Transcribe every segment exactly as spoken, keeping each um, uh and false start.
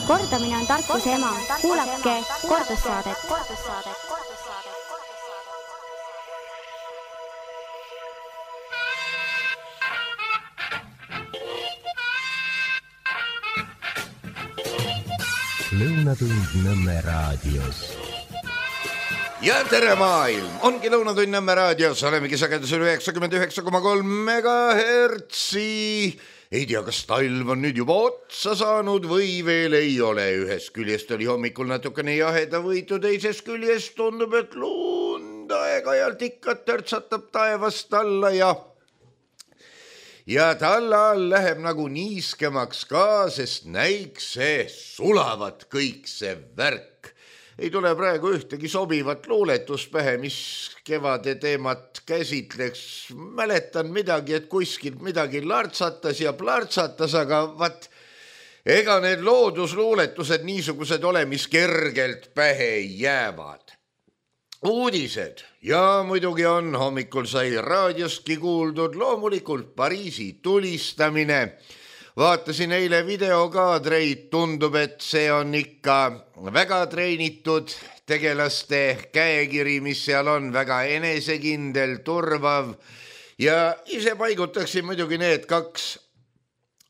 Kordamine on tarkuse ema. Kuulake kordussaadet. Lõunatund Nõmme raadios. Ja tere maailm! Ongi Lõunatund Nõmme raadios. Olemegi sagedusel üheksakümmend üheksa koma kolm megahertsi. Ei tea, kas talv on nüüd juba otsa saanud või veel ei ole. Ühest küljest oli hommikul natukene jaheda võitu, teisest küljest tundub, et lund aeg-ajalt ikka törtsatab taevast alla ja ja talla all läheb nagu niiskemaks ka, sest näikse sulavat kõik see värk. Ei tule praegu ühtegi sobivat luuletust pähe, mis kevade teemat käsitleks. Mäletan midagi, et kuskilt midagi lartsatas ja plartsatas, aga vat, ega need loodusluuletused niisugused ole, mis kergelt pähe jäävad. Uudised ja muidugi on, hommikul sai raadiostki kuuldud, loomulikult Pariisi tulistamine. Vaatasin eile videokaadreid, tundub, et see on ikka väga treenitud tegelaste käekiri, mis seal on, väga enesekindel, turvav ja ise paigutaksin muidugi need kaks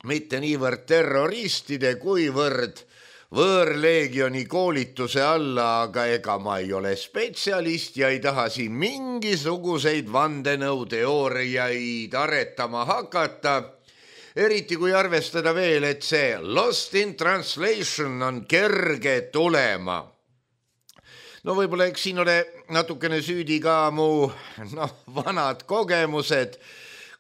mitte niivõrd terroristide kuivõrd võõrleegioni koolituse alla, aga ega ma ei ole spetsialist ja ei taha siin mingisuguseid vandenõuteooriaid aretama hakata. Eriti kui arvestada veel, et see Lost in Translation on kerge tulema. No võib-olla eks siin ole natukene süüdi ka mu no, vanad kogemused,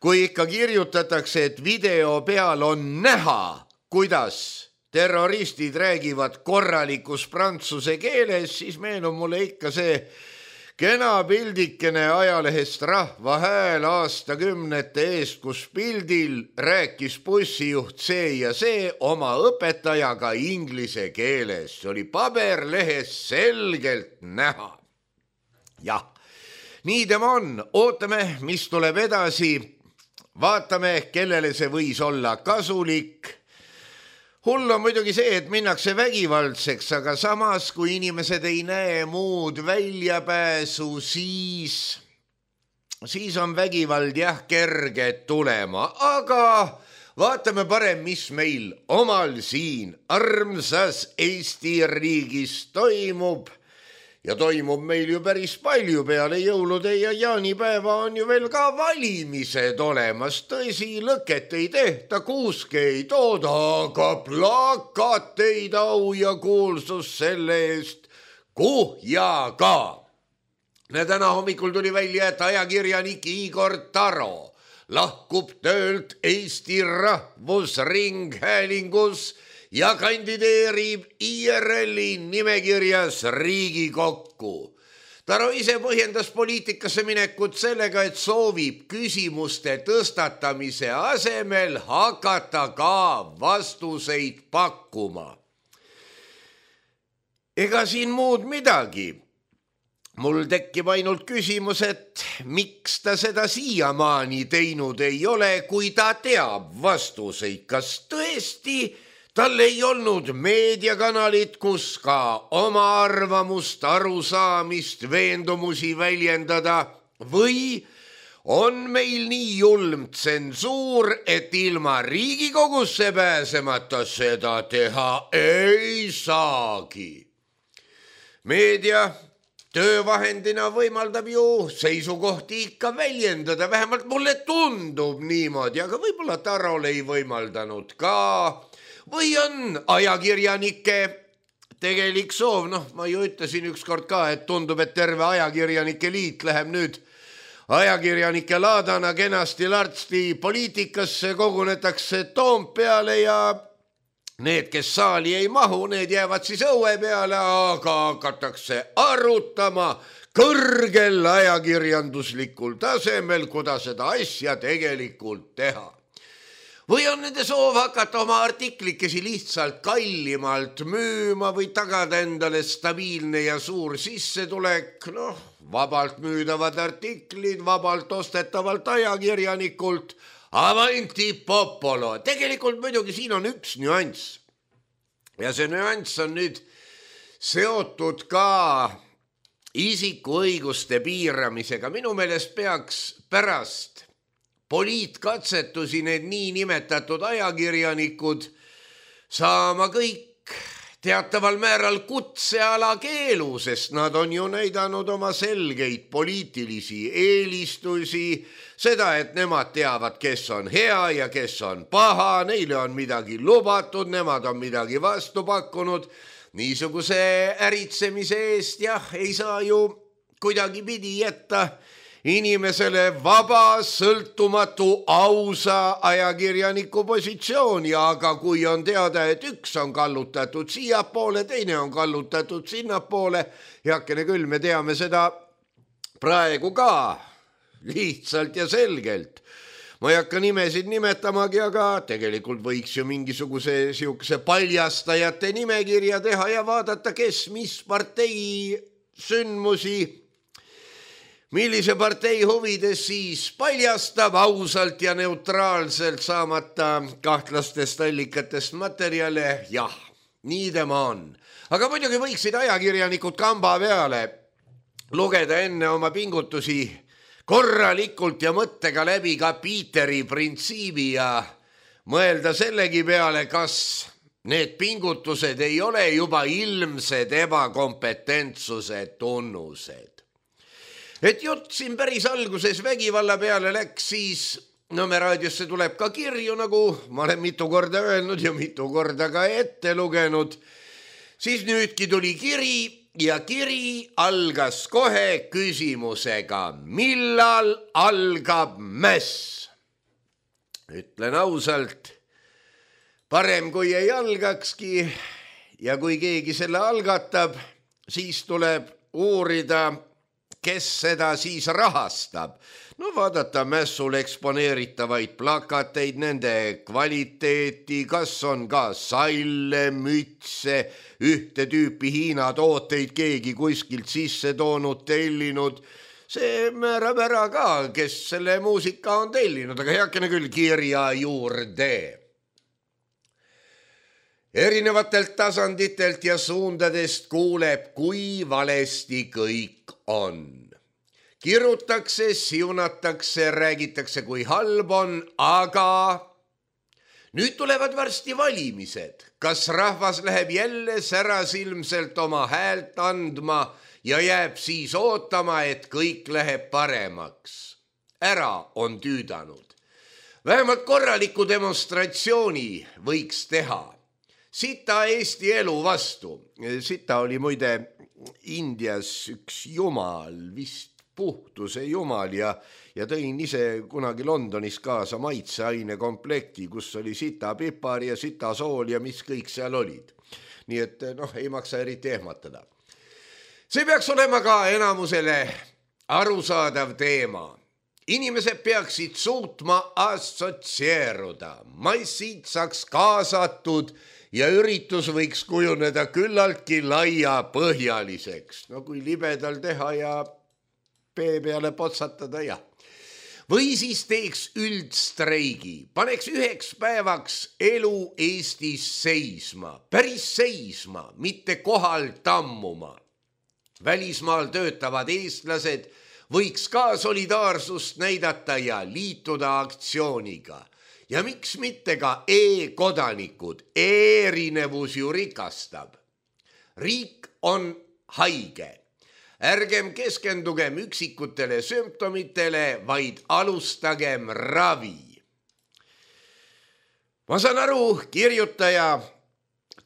kui ikka kirjutatakse, et video peal on näha, kuidas terroristid räägivad korralikus prantsuse keeles, siis meenub mulle ikka see kena pildikene ajalehest Rahva Hääl aastakümnete eest, kus pildil rääkis bussijuht see ja see oma õpetajaga inglise keeles. See oli paberlehes selgelt näha. Jah, nii tema on. Ootame, mis tuleb edasi. Vaatame, kellele see võis olla kasulik. Hull on muidugi see, et minnakse vägivaldseks, aga samas, kui inimesed ei näe muud väljapääsu, siis, siis on vägivald jah kerge tulema. Aga vaatame parem, mis meil omal siin armsas Eesti riigis toimub. Ja toimub meil ju päris palju, peale jõulude ja jaanipäeva on ju veel ka valimised olemas. Tõsi, lõket ei tehta, kuuske ei tooda, aga plakateid au ja kuulsus selle eest kuhjaga. Täna hommikul tuli välja, et ajakirjanik Igor Taro lahkub töölt Eesti Rahvusringhäälingus ja kandideerib I R L-i nimekirjas Riigikokku. Taro ise põhjendas poliitikasse minekut sellega, et soovib küsimuste tõstatamise asemel hakata ka vastuseid pakkuma. Ega siin muud midagi. Mul tekkib ainult küsimus, et miks ta seda siiamaani teinud ei ole, kui ta teab vastuseid, kas tõesti tal ei olnud meediakanalit, kus ka oma arvamust, arusaamist, veendumusi väljendada või on meil nii julm tsensuur, et ilma Riigikogusse pääsemata seda teha ei saagi. Meedia töövahendina võimaldab ju seisukohti ikka väljendada, vähemalt mulle tundub niimoodi, aga võib-olla Tarol ei võimaldanud ka. Või on ajakirjanike tegelik soov, noh, ma ju ütlesin ükskord ka, et tundub, et terve ajakirjanike liit läheb nüüd ajakirjanike laadana kenasti lartsti poliitikasse, kogunetakse Toompeale ja need, kes saali ei mahu, need jäävad siis õue peale, aga hakatakse arutama kõrgel ajakirjanduslikul tasemel, kuidas seda asja tegelikult teha. Või on nende soov hakata oma artiklikesi lihtsalt kallimalt müüma või tagada endale stabiilne ja suur sissetulek, noh, vabalt müüdavad artiklid, vabalt ostetavalt ajakirjanikult, avanti popolo. Tegelikult muidugi siin on üks nüanss. ja see nüanss on nüüd seotud ka isikuõiguste piiramisega. Minu meelest peaks pärast poliitkatsetusi need niinimetatud ajakirjanikud saama kõik teataval määral kutseala keelu, sest nad on ju näidanud oma selgeid poliitilisi eelistusi, seda, et nemad teavad, kes on hea ja kes on paha, neile on midagi lubatud, nemad on midagi vastu pakkunud. Niisuguse äritsemise eest jah, ei saa ju kuidagi pidi jätta inimesele vaba, sõltumatu, ausa ajakirjaniku positsiooni, aga kui on teada, et üks on kallutatud siiapoole, teine on kallutatud sinnapoole, heakene küll, me teame seda praegu ka lihtsalt ja selgelt. Ma ei hakka nimesid nimetamagi, aga tegelikult võiks ju mingisuguse siukse paljastajate nimekirja teha ja vaadata, kes mis partei sündmusi, millise partei huvides siis paljastab ausalt ja neutraalselt saamata kahtlastest allikatest materjale. Jah, nii tema on. Aga muidugi võiksid ajakirjanikud kamba peale lugeda enne oma pingutusi korralikult ja mõttega läbi ka Piiteri printsiibi ja mõelda sellegi peale, kas need pingutused ei ole juba ilmsed ebakompetentsuse tunnused. Et jutt siin päris alguses vägivalla peale läks, siis Nõmme raadiosse tuleb ka kirju, nagu ma olen mitu korda öelnud ja mitu korda ka ette lugenud. Siis nüüdki tuli kiri ja kiri algas kohe küsimusega, millal algab mäss? Ütlen ausalt, parem kui ei algakski ja kui keegi selle algatab, siis tuleb uurida, kes seda siis rahastab. No vaadata mässul eksponeeritavaid plakateid, nende kvaliteeti, kas on ka salle, mütse, ühte tüüpi Hiina tooteid keegi kuskilt sisse toonud, tellinud. See määrab ära ka, kes selle muusika on tellinud, aga heakene küll kirja juurde. Erinevatelt tasanditelt ja suundadest kuuleb, kui valesti kõik on. Kirutakse, siunatakse, räägitakse, kui halb on, aga nüüd tulevad varsti valimised. Kas rahvas läheb jälle särasilmselt oma häält andma ja jääb siis ootama, et kõik läheb paremaks? Ära on tüüdanud. Vähemalt korraliku demonstratsiooni võiks teha. Sita Eesti elu vastu. Sita oli muide Indias üks jumal, vist puhtuse jumal ja, ja tõin ise kunagi Londonis kaasa maitseaine komplekti, kus oli sita pipar ja sita sool ja mis kõik seal olid. Nii et noh, ei maksa eriti ehmatada. See peaks olema ka enamusele arusaadav teema. Inimesed peaksid suutma assotsieeruda, massid saaks kaasatud ja üritus võiks kujuneda küllaltki laia põhjaliseks. No kui libedal teha ja pee peale potsatada, jah. Või siis teeks üldstreigi, paneks üheks päevaks elu Eestis seisma, päris seisma, mitte kohal tammuma. Välismaal töötavad eestlased võiks ka solidaarsust näidata ja liituda aktsiooniga. Ja miks mitte ka e-kodanikud, erinevus ju rikastab. Riik on haige. Ärgem keskendugem üksikutele sümptomitele, vaid alustagem ravi. Ma saan aru kirjutaja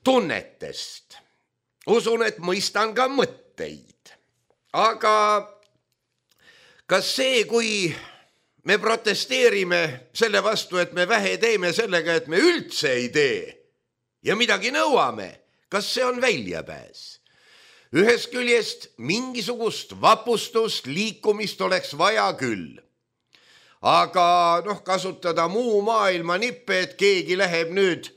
tunnetest. Usun, et mõistan ka mõtteid. Aga kas see, kui me protesteerime selle vastu, et me vähe teeme sellega, et me üldse ei tee ja midagi nõuame, kas see on väljapääs? Ühes küljest mingisugust vapustust, liikumist oleks vaja küll. Aga noh, kasutada muu maailma nippe, et keegi läheb nüüd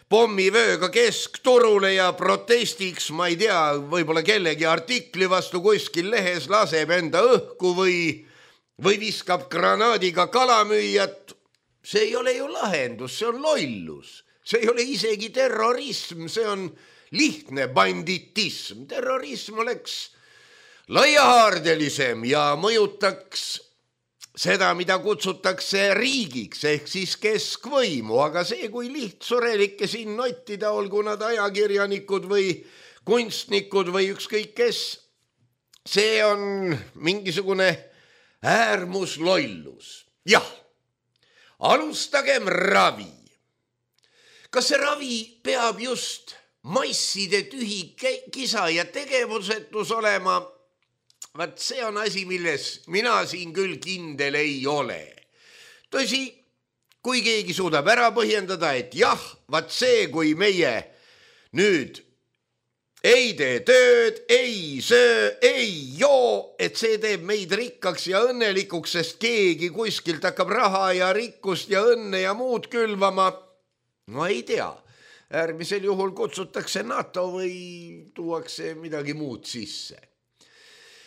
pommivööga keskturule ja protestiks, ma ei tea, võib-olla kellegi artikli vastu kuskil lehes laseb enda õhku või, või viskab granaadiga kalamüüjat. See ei ole ju lahendus, see on lollus. see ei ole isegi terrorism, see on lihtne banditism. Terrorism oleks laiahaardelisem ja mõjutaks seda, mida kutsutakse riigiks ehk siis keskvõimu, aga see, kui lihtsurelikke siin nottida, olgu nad ajakirjanikud või kunstnikud või ükskõik kes, see on mingisugune äärmuslollus. Jah, alustagem ravi. Kas see ravi peab just masside tühi kisa ja tegevusetus olema? Vaat see on asi, milles mina siin küll kindel ei ole. Tõsi, kui keegi suudab ära põhjendada, et jah, vaat see, kui meie nüüd ei tee tööd, ei söö, ei joo, et see teeb meid rikkaks ja õnnelikuks, sest keegi kuskilt hakkab raha ja rikkust ja õnne ja muud külvama. No ei tea, äärmisel juhul kutsutakse NATO või tuuakse midagi muud sisse.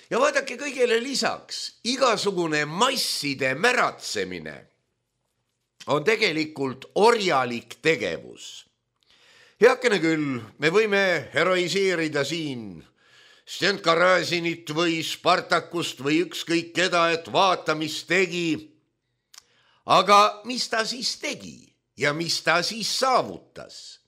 Ja vaadake kõigele lisaks, igasugune masside märatsemine on tegelikult orjalik tegevus. Heakene küll, me võime heroiseerida siin Stenka Razinit või Spartakust või ükskõik keda, et vaata, mis tegi. Aga mis ta siis tegi ja mis ta siis saavutas?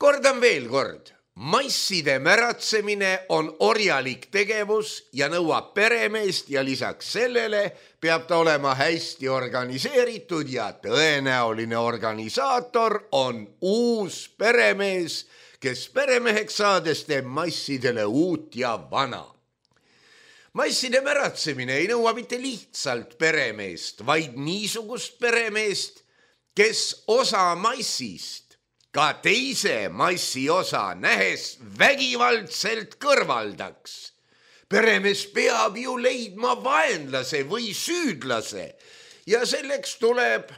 Kordan veel kord. Masside märatsemine on orjalik tegevus ja nõuab peremeest ja lisaks sellele peab ta olema hästi organiseeritud ja tõenäoline organisaator on uus peremees, kes peremeheks saades teeb massidele uut ja vana. Masside märatsemine ei nõua mitte lihtsalt peremeest, vaid niisugust peremeest, kes osa massist ka teise massi osa nähes vägivaldselt kõrvaldaks. Peremees peab ju leidma vaenlase või süüdlase ja selleks tuleb,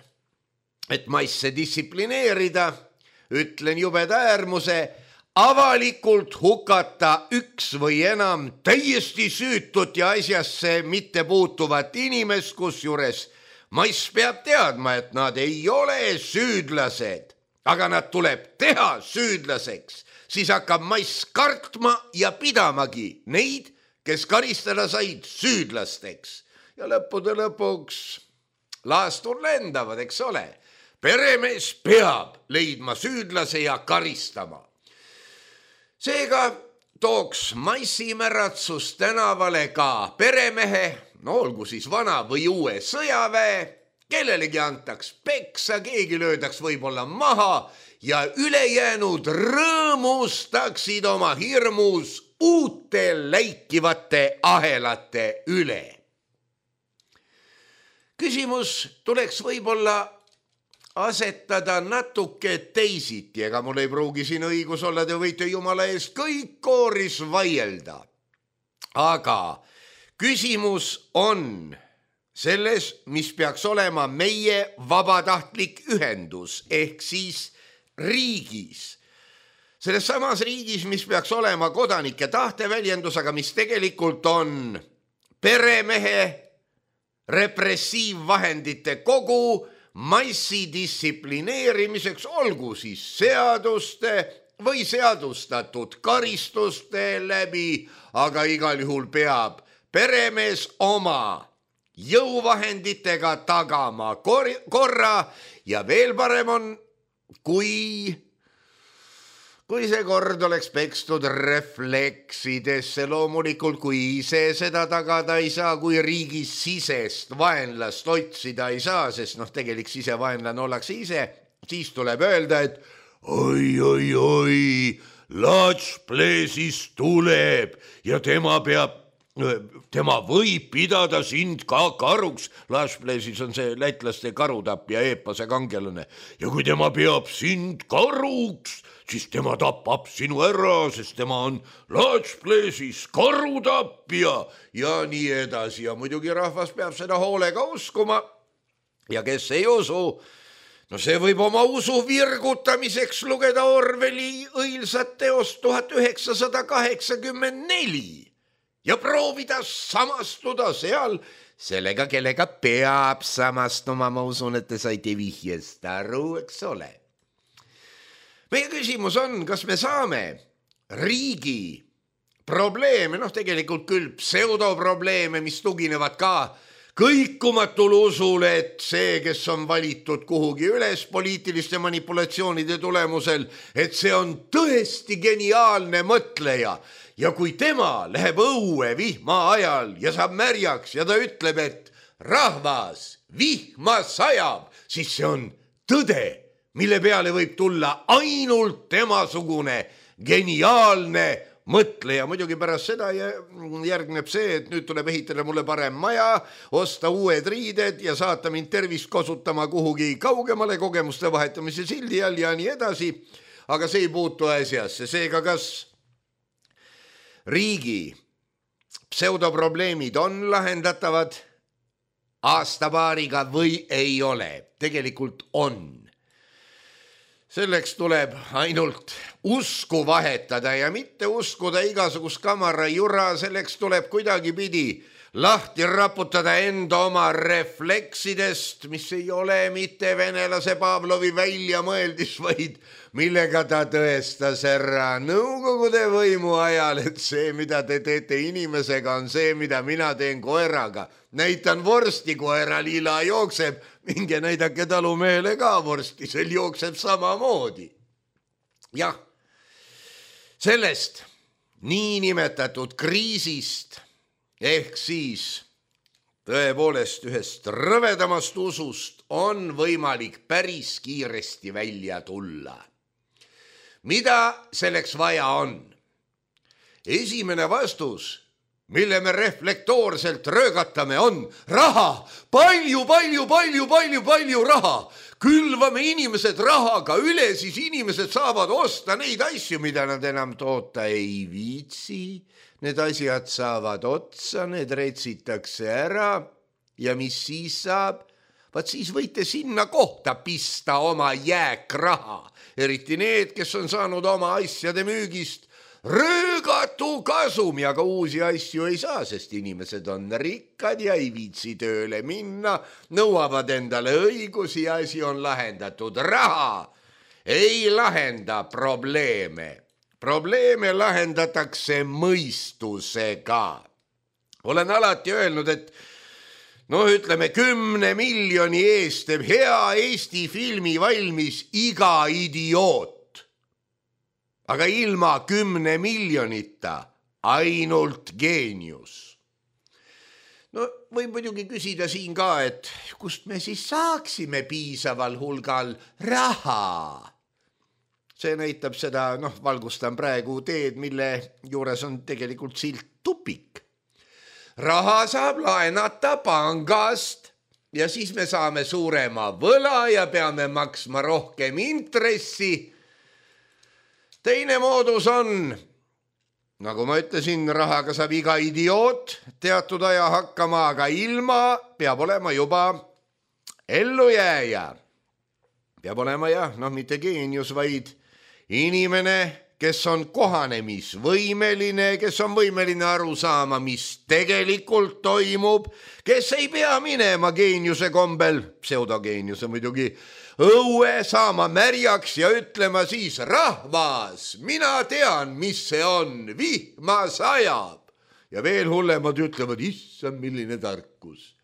et masse distsiplineerida, ütlen jubeda äärmuse, avalikult hukata üks või enam täiesti süütut ja asjasse mitte puutuvat inimest, kusjuures mass peab teadma, et nad ei ole süüdlased. Aga nad tuleb teha süüdlaseks, siis hakkab mass kartma ja pidamagi neid, kes karistada said süüdlasteks. Ja lõppude lõpuks laastur lendavad, eks ole. Peremees peab leidma süüdlase ja karistama. Seega tooks massimäratsus tänavale ka peremehe, no olgu siis vana või uue sõjaväe, kellelegi antaks peksa, keegi löödaks võib-olla maha ja ülejäänud rõõmustaksid oma hirmus uute läikivate ahelate üle. Küsimus tuleks võib-olla asetada natuke teisiti, ega mul ei pruugi siin õigus olla, te võite jumala eest kõik kooris vaielda. Aga küsimus on selles, mis peaks olema meie vabatahtlik ühendus ehk siis riigis. Selles samas riigis, mis peaks olema kodanike tahteväljendus, aga mis tegelikult on peremehe repressiivvahendite kogu massi distsiplineerimiseks, olgu siis seaduste või seadustatud karistuste läbi, aga igal juhul peab peremees oma jõuvahenditega tagama korra ja veel parem on, kui, kui see kord oleks pekstud refleksidesse, loomulikult kui ise seda tagada ei saa, kui riigis sisest vaenlast otsida ei saa, sest noh, tegelik sisevaenlane ollakse ise, siis tuleb öelda, et oi, oi, oi, Lats Pleesis tuleb ja tema peab tema võib pidada sind ka karuks. Laspleesis on see lätlaste karutapja eepase kangelane. Ja kui tema peab sind karuks, siis tema tapab sinu ära, sest tema on Laspleesis karutapja ja nii edasi. Ja muidugi rahvas peab seda hoolega uskuma. Ja kes ei usu, no see võib oma usu virgutamiseks lugeda Orwelli õilsat teost tuhat üheksasada kaheksakümmend neli. Ja proovida samastuda seal sellega, kellega peab samastuma, ma usun, et te saite vihjest aru, eks ole. meie küsimus on, kas me saame riigi probleeme, noh tegelikult küll pseudoprobleeme, mis tuginevad ka kõikumatul usule, et see, kes on valitud kuhugi üles poliitiliste manipulatsioonide tulemusel, et see on tõesti geniaalne mõtleja ja kui tema läheb õue vihma ajal ja saab märjaks ja ta ütleb, et rahvas, vihma sajab, siis see on tõde, mille peale võib tulla ainult temasugune geniaalne mõtleja. Muidugi pärast seda järgneb see, et nüüd tuleb ehitada mulle parem maja, osta uued riided ja saata mind tervist kasutama kuhugi kaugemale kogemuste vahetamise sildi all ja nii edasi. Aga see ei puutu asjasse. Seega kas riigi pseudoprobleemid on lahendatavad aastapaariga või ei ole? Tegelikult on. Selleks tuleb ainult usku vahetada ja mitte uskuda igasugust kamara jura, selleks tuleb kuidagi pidi lahti raputada enda oma refleksidest, mis ei ole mitte venelase Pavlovi väljamõeldis, vaid millega ta tõestas ära Nõukogude võimu ajal, et see, mida te teete inimesega, on see, mida mina teen koeraga. Näitan vorsti, koera lila jookseb, minge näidake talumehele ka vorsti, sel jookseb samamoodi. Jah, sellest niinimetatud kriisist ehk siis tõepoolest ühest rõvedamast usust on võimalik päris kiiresti välja tulla. Mida selleks vaja on? Esimene vastus, mille me reflektoorselt röögatame, on raha. Palju, palju, palju, palju, palju raha. Külvame inimesed rahaga üle, siis inimesed saavad osta neid asju, mida nad enam toota ei viitsi. Need asjad saavad otsa, need retsitakse ära ja mis siis saab? Vaat siis võite sinna kohta pista oma jääkraha. Eriti need, kes on saanud oma asjade müügist röögatu kasumi, aga uusi asju ei saa, sest inimesed on rikkad ja ei viitsi tööle minna, nõuavad endale õigusi ja asi on lahendatud. Raha ei lahenda probleeme. Probleeme lahendatakse mõistusega. Olen alati öelnud, et no ütleme kümne miljoni eest teeb hea Eesti filmi valmis iga idioot. Aga ilma kümne miljonita ainult geenius. No võib muidugi küsida siin ka, et kust me siis saaksime piisaval hulgal raha? See näitab seda, noh, valgustan praegu teed, mille juures on tegelikult silt tupik. Raha saab laenata pangast ja siis me saame suurema võla ja peame maksma rohkem intressi. Teine moodus on, nagu ma ütlesin, rahaga saab iga idioot teatud aja hakkama, aga ilma peab olema juba ellujääja. Peab olema jah, noh mitte geenius, vaid inimene, kes on kohanemisvõimeline, kes on võimeline aru saama, mis tegelikult toimub, kes ei pea minema geeniuse kombel, pseudogeeniuse muidugi, õue saama märjaks ja ütlema siis rahvas, mina tean, mis see on, vihma sajab. Ja veel hullemad ütlevad, issand, milline tarkus.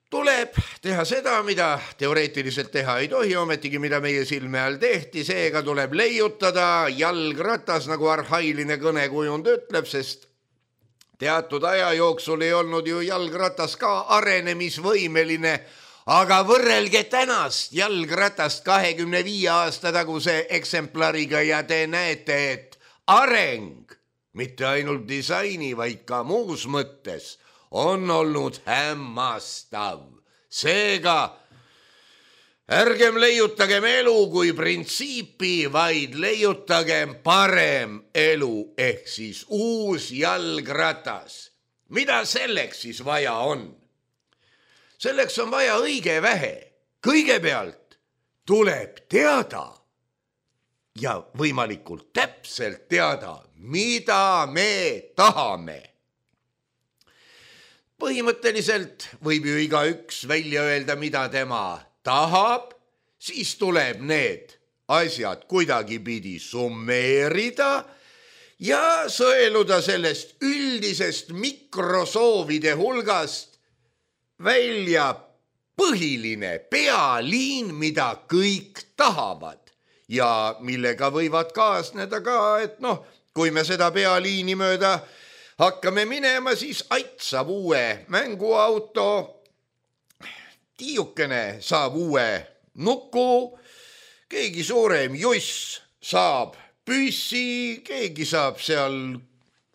Tuleb teha seda, mida teoreetiliselt teha ei tohi, ometigi mida meie silme all tehti, seega tuleb leiutada jalgratas, nagu arhailine kõnekujund ütleb, sest teatud aja jooksul ei olnud ju jalgratas ka arenemisvõimeline, aga võrrelge tänast jalgratast kahekümne viie aasta taguse eksemplariga ja te näete, et areng, mitte ainult disaini, vaid ka muus mõttes, on olnud hämmastav. Seega ärgem leiutagem elu kui printsiipi, vaid leiutagem parem elu ehk siis uus jalgratas. Mida selleks siis vaja on? Selleks on vaja õige vähe. Kõigepealt tuleb teada ja võimalikult täpselt teada, mida me tahame. Põhimõtteliselt võib ju igaüks välja öelda, mida tema tahab, siis tuleb need asjad kuidagipidi summeerida ja sõeluda sellest üldisest mikrosoovide hulgast välja põhiline pealiin, mida kõik tahavad ja millega võivad kaasneda ka, et noh, kui me seda pealiini mööda hakkame minema, siis aitsab uue mänguauto, tiiukene saab uue nuku, keegi suurem juss saab püssi, keegi saab seal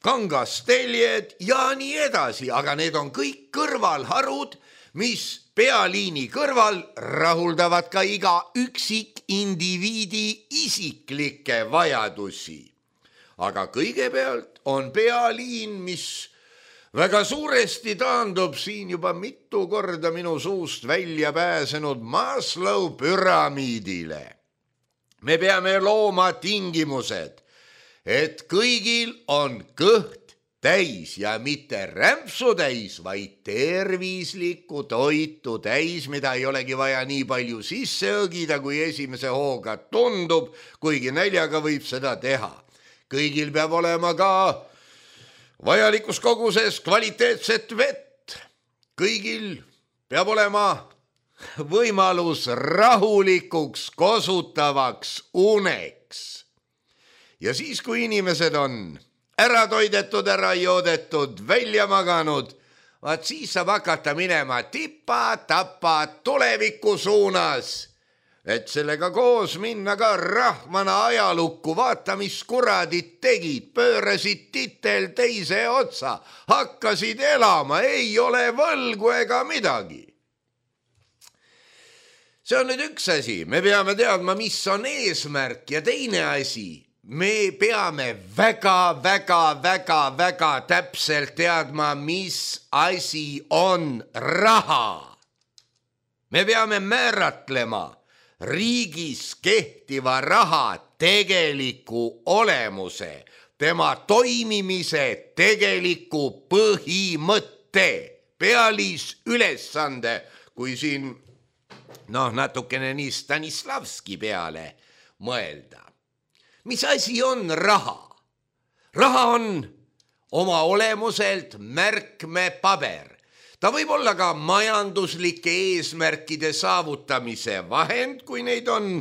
kangasteljed ja nii edasi, aga need on kõik kõrvalharud, mis pealiini kõrval rahuldavad ka iga üksik indiviidi isiklikke vajadusi. Aga kõigepealt on pealiin, mis väga suuresti taandub siin juba mitu korda minu suust välja pääsenud Maslow püramiidile. Me peame looma tingimused, et kõigil on kõht täis ja mitte rämpsu täis, vaid tervislikku toitu täis, mida ei olegi vaja nii palju sisse õgida, kui esimese hooga tundub, kuigi näljaga võib seda teha. Kõigil peab olema ka vajalikus koguses kvaliteetset vett. Kõigil peab olema võimalus rahulikuks kosutavaks uneks. Ja siis, kui inimesed on ära toidetud, ära joodetud, välja maganud, vaat siis saab hakata minema tipa-tapa tuleviku suunas, et sellega koos minna ka rahvana ajalukku, vaata, mis kuradid tegid, pöörasid titel teise otsa, hakkasid elama, ei ole võlgu ega midagi. See on nüüd üks asi, me peame teadma, mis on eesmärk ja teine asi, me peame väga, väga, väga, väga täpselt teadma, mis asi on raha. Me peame määratlema riigis kehtiva raha tegeliku olemuse, tema toimimise tegeliku põhimõtte, pealis ülesande, kui siin noh, natukene nii Stanislavski peale mõelda. Mis asi on raha? Raha on oma olemuselt märkmepaber. Ta võib olla ka majanduslike eesmärkide saavutamise vahend, kui neid on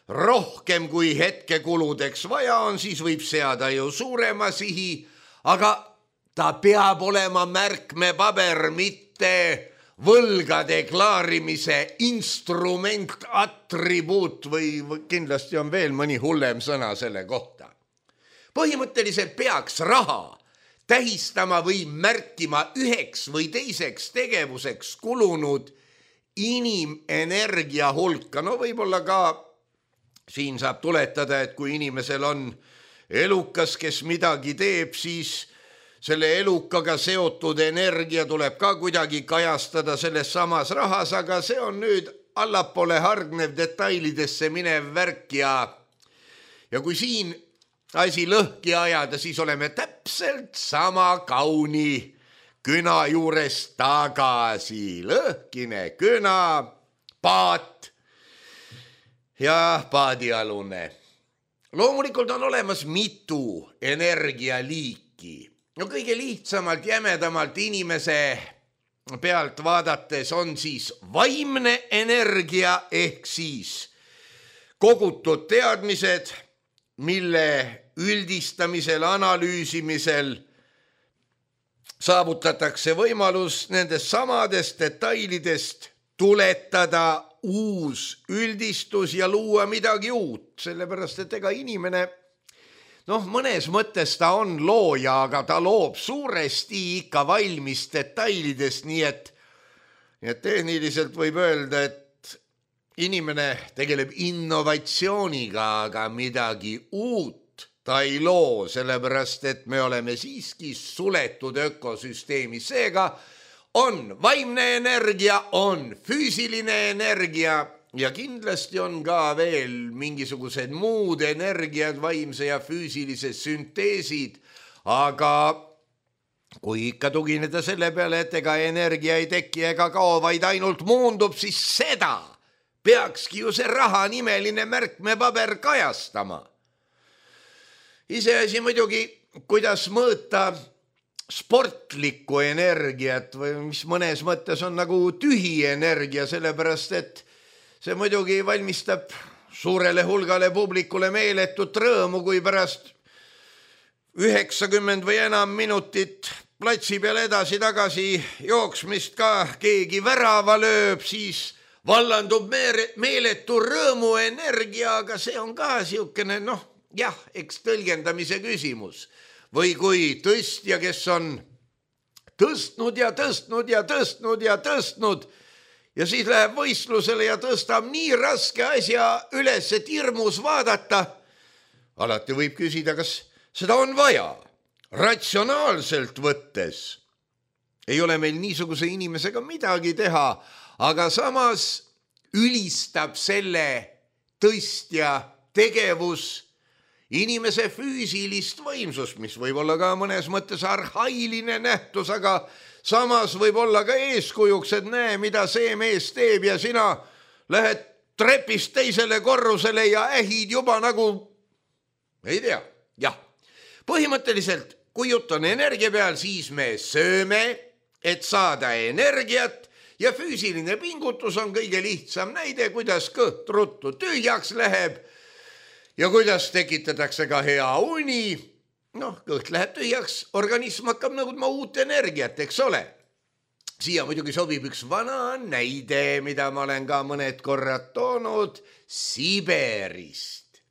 rohkem kui hetkekuludeks vaja on, siis võib seada ju suurema sihi, aga ta peab olema märkmepaber, mitte võlgade klaarimise instrument, atribuut või kindlasti on veel mõni hullem sõna selle kohta. Põhimõtteliselt peaks raha tähistama või märkima üheks või teiseks tegevuseks kulunud inimenergia hulka. No võib-olla ka siin saab tuletada, et kui inimesel on elukas, kes midagi teeb, siis selle elukaga seotud energia tuleb ka kuidagi kajastada selles samas rahas, aga see on nüüd allapoole hargnev detailidesse minev värk ja, ja kui siin asi lõhki ajada, siis oleme täpselt sama kauni küna juures tagasi. Lõhkine küna, paat ja paadialune. Loomulikult on olemas mitu energialiiki. No kõige lihtsamalt, jämedamalt inimese pealt vaadates on siis vaimne energia ehk siis kogutud teadmised, mille üldistamisel, analüüsimisel saavutatakse võimalus nendest samadest detailidest tuletada uus üldistus ja luua midagi uut, sellepärast et ega inimene noh, mõnes mõttes ta on looja, aga ta loob suuresti ikka valmis detailidest, nii et, nii et tehniliselt võib öelda, et inimene tegeleb innovatsiooniga, aga midagi uut ta ei loo, sellepärast et me oleme siiski suletud ökosüsteemi. Seega on vaimne energia, on füüsiline energia, ja kindlasti on ka veel mingisugused muud energiad, vaimse ja füüsilise sünteesid, aga kui ikka tugineda selle peale, et ega energia ei teki ega kao, vaid ainult muundub, siis seda peakski ju see raha nimeline märkmepaber kajastama. Iseasi muidugi, kuidas mõõta sportlikku energiat või mis mõnes mõttes on nagu tühi energia, sellepärast et see muidugi valmistab suurele hulgale publikule meeletut rõõmu, kui pärast üheksakümmend või enam minutit platsi peal edasi-tagasi jooksmist ka keegi värava lööb, siis vallandub meeletu rõõmu energia, aga see on ka siukene, noh, jah, eks tõlgendamise küsimus. Või kui tõstja, kes on tõstnud ja tõstnud ja tõstnud ja tõstnud ja siis läheb võistlusele ja tõstab nii raske asja üles, et hirmus vaadata. Alati võib küsida, kas seda on vaja. Ratsionaalselt võttes ei ole meil niisuguse inimesega midagi teha, aga samas ülistab selle tõstja tegevus inimese füüsilist võimsust, mis võib olla ka mõnes mõttes arhailine nähtus, aga samas võib olla ka eeskujuks, et näe, mida see mees teeb ja sina lähed trepist teisele korrusele ja ähid juba nagu, ei tea, jah. Põhimõtteliselt, kui jutt on energia peal, siis me sööme, et saada energiat ja füüsiline pingutus on kõige lihtsam näide, kuidas kõht ruttu tühjaks läheb ja kuidas tekitatakse ka hea uni. Noh, kõht läheb tühjaks, organism hakkab nõudma uut energiat, eks ole. Siia muidugi sobib üks vana näide, mida ma olen ka mõned korrad toonud Siberist.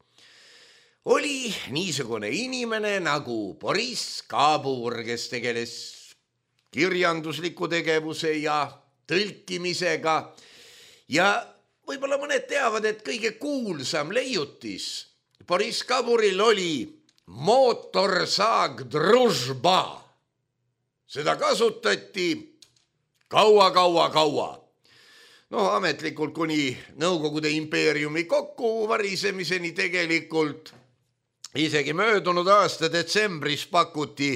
Oli niisugune inimene nagu Boris Kabur, kes tegeles kirjandusliku tegevuse ja tõlkimisega ja võib-olla mõned teavad, et kõige kuulsam leiutis Boris Kaburil oli mootorsaag Družba. Seda kasutati kaua-kaua-kaua. No ametlikult kuni Nõukogude impeeriumi kokku varisemiseni tegelikult. Isegi möödunud aasta detsembris pakuti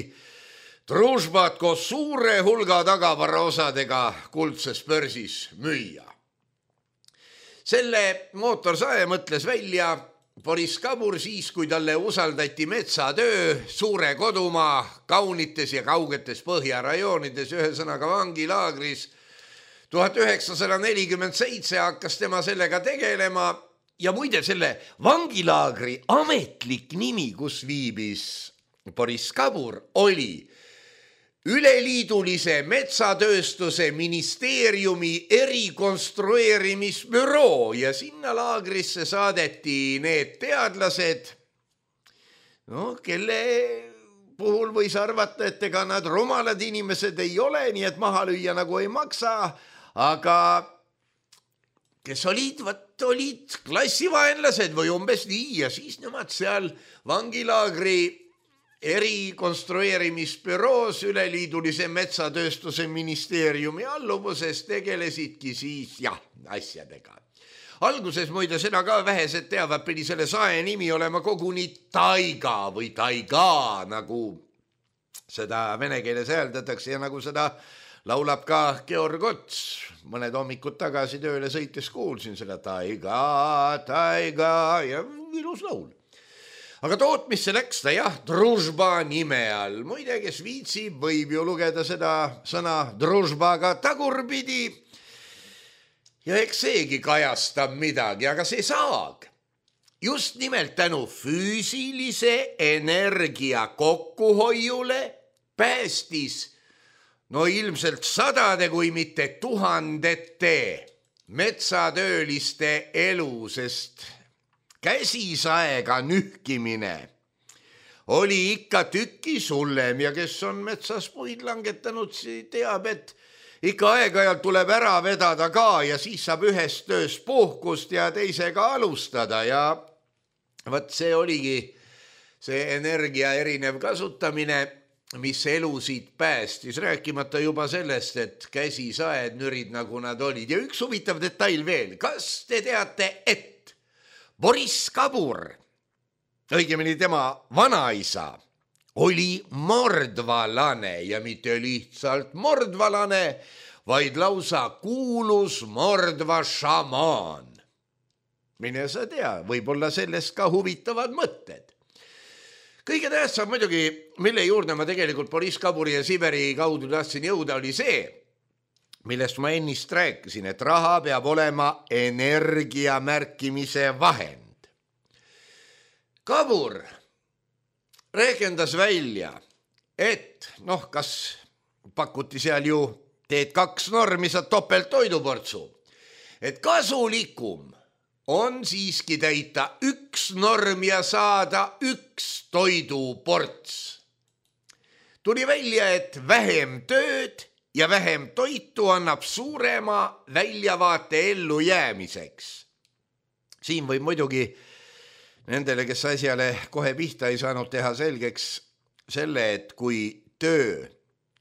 Družbat koos suure hulga tagavara osadega kuldses börsis müüa. Selle mootorsae mõtles välja Boris Kabur siis, kui talle usaldati metsatöö suure kodumaa kaunites ja kaugetes põhjarajoonides, ühesõnaga vangilaagris. tuhat üheksasada nelikümmend seitse hakkas tema sellega tegelema ja muide selle vangilaagri ametlik nimi, kus viibis Boris Kabur, oli Üleliidulise metsatööstuse ministeeriumi erikonstrueerimisbüroo ja sinna laagrisse saadeti need teadlased, no, kelle puhul võis arvata, et ega nad rumalad inimesed ei ole, nii et maha lüüa nagu ei maksa, aga kes olid, võt olid klassivaenlased või umbes nii ja siis nemad seal vangilaagri erikonstrueerimisbüroos Üleliidulise metsatööstuse ministeeriumi alluvuses tegelesidki siis jah, asjadega. Alguses muide seda ka vähesed teavad, pidi selle sae nimi olema koguni Taiga või Taiga, nagu seda vene keeles hääldatakse ja nagu seda laulab ka Georg Ots. Mõned hommikud tagasi tööle sõites kuulsin seda Taiga, Taiga ja ilus laul. Aga tootmisse läks ta jah, Družba nime all. Muide, kes viitsib, võib ju lugeda seda sõna Družbaga tagurpidi. Ja eks seegi kajastab midagi, aga see saag just nimelt tänu füüsilise energia kokkuhoiule päästis no ilmselt sadade kui mitte tuhandete metsatööliste elu, sest käsisaega nühkimine oli ikka tükis hullem ja kes on metsas puid langetanud, teab, et ikka aeg-ajalt tuleb ära vedada ka ja siis saab ühest tööst puhkust ja teisega alustada ja võt see oligi see energia erinev kasutamine, mis elusid päästis, rääkimata juba sellest, et käsisaed nürid nagu nad olid. Ja üks huvitav detail veel, kas te teate, et Boris Kabur, õigemini tema vanaisa, oli mordvalane ja mitte lihtsalt mordvalane, vaid lausa kuulus mordva šamaan. mine sa tea, võib-olla sellest ka huvitavad mõtted. Kõige tähtsam muidugi, mille juurde ma tegelikult Boriss Kaburi ja Siberi kaudu tahtsin jõuda, oli see, millest ma ennist rääkisin, et raha peab olema energia märkimise vahend. Kabur rehkendas välja, et noh, kas pakuti seal ju teed kaks normi, saad topelt toiduportsu, et kasulikum on siiski täita üks norm ja saada üks toiduports. Tuli välja, et vähem tööd ja vähem toitu annab suurema väljavaate ellu jäämiseks. Siin võib muidugi nendele, kes asjale kohe pihta ei saanud, teha selgeks selle, et kui töö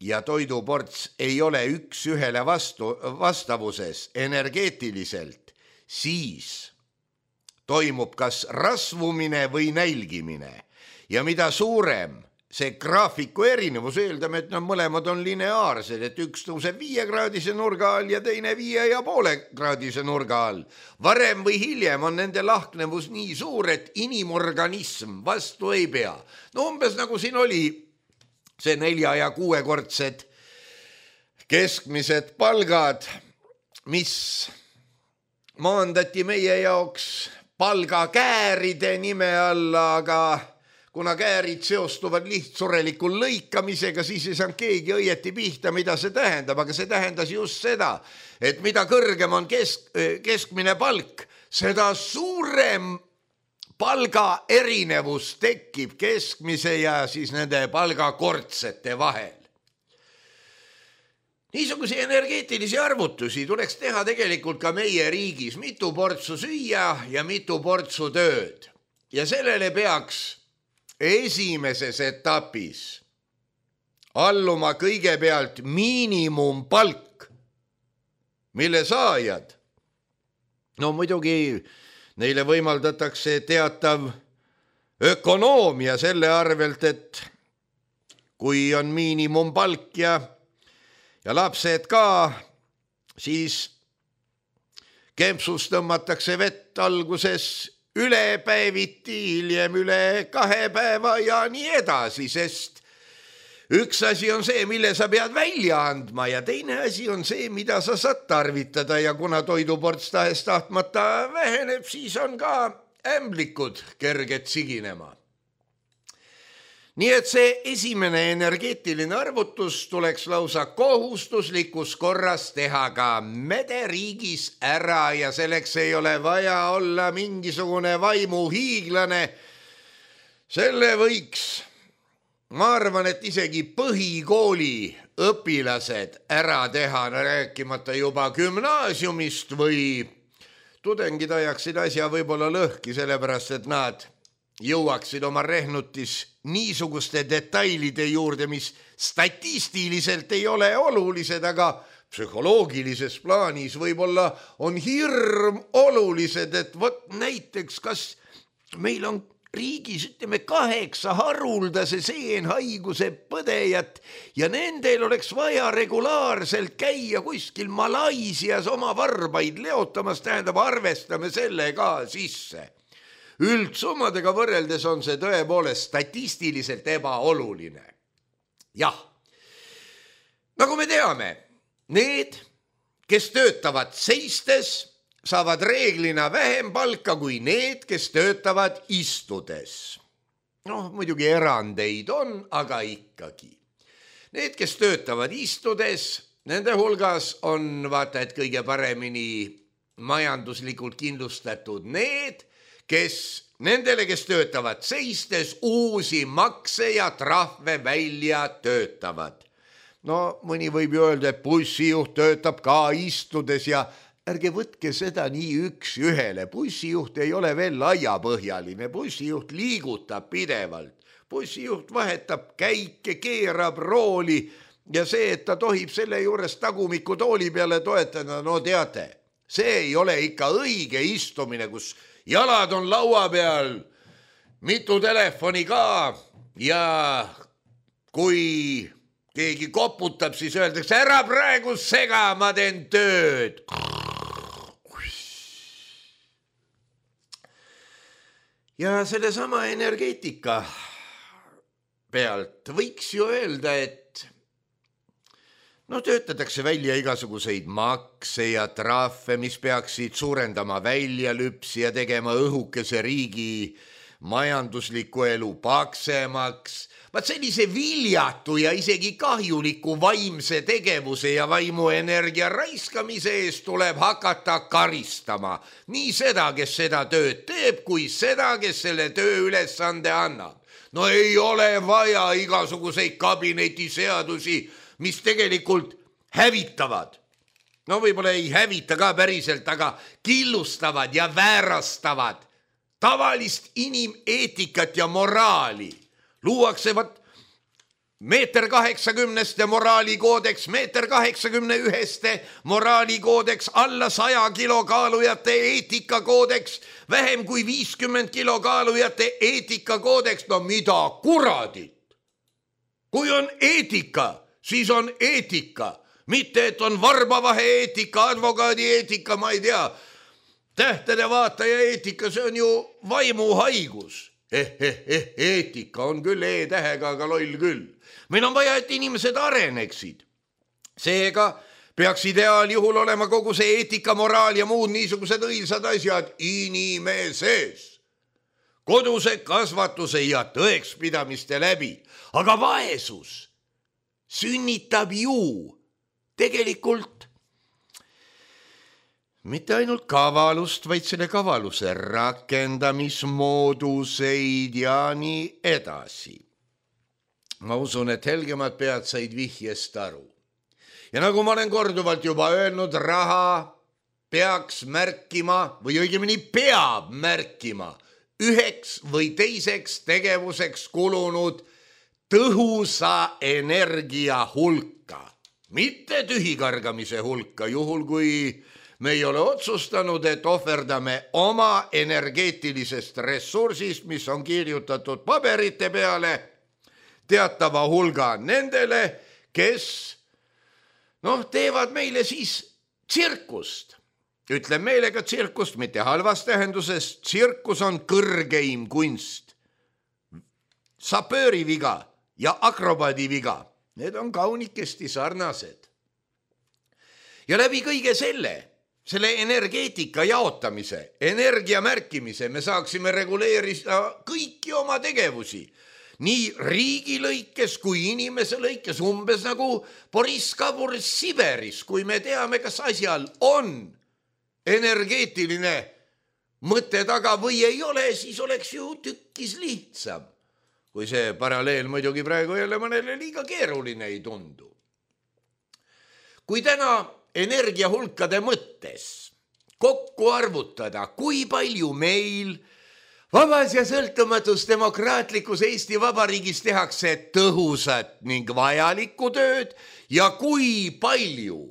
ja toiduports ei ole üks ühele vastu, vastavuses energeetiliselt, siis toimub kas rasvumine või nälgimine ja mida suurem see graafiku erinevus, eeldame, et nad mõlemad on lineaarsed, et üks tõuseb viiekraadise nurga all ja teine viie ja poole kraadise nurga all. Varem või hiljem on nende lahknevus nii suur, et inimorganism vastu ei pea. No umbes nagu siin oli see nelja- ja kuuekordsed keskmised palgad, mis maandati meie jaoks palgakääride nime alla, aga kuna käärid seostuvad lihtsurelikul lõikamisega, siis ei saanud keegi õieti pihta, mida see tähendab, aga see tähendas just seda, et mida kõrgem on kesk, keskmine palk, seda suurem palga erinevus tekib keskmise ja siis nende palgakordsete vahel. Niisuguse energeetilisi arvutusi tuleks teha tegelikult ka meie riigis, mitu portsu süüa ja mitu portsu tööd. Ja sellele peaks esimeses etapis alluma kõigepealt miinimumpalk, mille saajad, no muidugi neile võimaldatakse teatav ökonoomia selle arvelt, et kui on miinimumpalk ja, ja lapsed ka, siis kempsus tõmmatakse vett alguses üle päeviti, hiljem üle kahe päeva ja nii edasi, sest üks asi on see, mille sa pead välja andma ja teine asi on see, mida sa saad tarvitada ja kuna toiduports tahes tahtmata väheneb, siis on ka ämblikud kerged siginema. Nii et see esimene energeetiline arvutus tuleks lausa kohustuslikus korras teha ka mederiigis ära ja selleks ei ole vaja olla mingisugune vaimuhiiglane. Selle võiks, ma arvan, et isegi põhikooli õpilased ära teha, rääkimata juba gümnaasiumist või tudengid ajaksid asja võib-olla lõhki, sellepärast et nad jõuaksid oma rehnutis niisuguste detailide juurde, mis statistiliselt ei ole olulised, aga psühholoogilises plaanis võib-olla on hirm olulised, et vot näiteks, kas meil on riigis, ütleme, kaheksa haruldase seenhaiguse põdejat ja nendel oleks vaja regulaarselt käia kuskil Malaisias oma varbaid leotamas, tähendab, arvestame selle ka sisse. Üldsummadega võrreldes on see tõepoolest statistiliselt ebaoluline. Jah, nagu me teame, need, kes töötavad seistes, saavad reeglina vähem palka kui need, kes töötavad istudes. Noh, muidugi erandeid on, aga ikkagi. Need, kes töötavad istudes, nende hulgas on vaata, et kõige paremini majanduslikult kindlustatud need, kes nendele, kes töötavad seistes, uusi makse ja trahve välja töötavad. No mõni võib ju öelda, et bussijuht töötab ka istudes ja ärge võtke seda nii üks ühele. Bussijuht ei ole veel laiapõhjaline, bussijuht liigutab pidevalt. Bussijuht vahetab käike, keerab rooli ja see, et ta tohib selle juures tagumiku tooli peale toetada, no teate, see ei ole ikka õige istumine, kus jalad on laua peal, mitu telefoni ka ja kui keegi koputab, siis öeldakse, ära praegu sega, ma teen tööd. ja selle sama energeetika pealt võiks ju öelda, et no töötatakse välja igasuguseid makse ja trahve, mis peaksid suurendama väljalüpsi ja tegema õhukese riigi majandusliku elu paksemaks. Vaat sellise viljatu ja isegi kahjuliku vaimse tegevuse ja vaimuenergia raiskamise eest tuleb hakata karistama. Nii seda, kes seda tööd teeb, kui seda, kes selle töö ülesande annab. No ei ole vaja igasuguseid kabinetiseadusi, mis tegelikult hävitavad. No võib-olla ei hävita ka päriselt, aga killustavad ja väärastavad tavalist inimeetikat ja moraali. Luuakse vat meeter kaheksakümneste moraalikoodeks, meeter kaheksakümne üheste moraalikoodeks, alla saja kilo kaalujate eetikakoodeks, vähem kui viiskümmend kilo kaalujate eetikakoodeks. No mida kuradit? Kui on eetika, siis on eetika. Mitte, et on varbavahe eetika, advokaadi eetika, ma ei tea. Tähtede vaataja eetika, see on ju vaimuhaigus. Eh, eh, eh, eetika on küll e-tähega, aga loll küll. Meil on vaja, et inimesed areneksid. Seega peaks ideaaljuhul olema kogu see eetika, moraal ja muud niisugused õilsad asjad inimeses. Koduse kasvatuse ja tõekspidamiste läbi. Aga vaesus sünnitab ju tegelikult mitte ainult kavalust, vaid selle kavaluse rakendamismooduseid ja nii edasi. Ma usun, et helgemad pead said vihjest aru. Ja nagu ma olen korduvalt juba öelnud, raha peaks märkima või õigemini peab märkima üheks või teiseks tegevuseks kulunud tõhusa energia hulka. Mitte tühikargamise hulka, juhul kui me ei ole otsustanud, et ohverdame oma energeetilisest ressursist, mis on kirjutatud paberite peale, teatava hulga nendele, kes noh, teevad meile siis tsirkust. Ütlen meelega tsirkust, mitte halvas tähenduses. Tsirkus on kõrgeim kunst. Sapööri viga ja akrobaadi viga. Need on kaunikesti sarnased. Ja läbi kõige selle, selle energeetika jaotamise, energia märkimise me saaksime reguleerida kõiki oma tegevusi. Nii riigi lõikes kui inimese lõikes, umbes nagu Boris Kabur Siberis, kui me teame, kas asjal on energeetiline mõte taga või ei ole, siis oleks ju tükkis lihtsam. Kui see paralleel muidugi praegu jälle mõnele liiga keeruline ei tundu. Kui täna energiahulkade mõttes kokku arvutada, kui palju meil vabas ja sõltumatus demokraatlikus Eesti Vabariigis tehakse tõhusat ning vajalikku tööd ja kui palju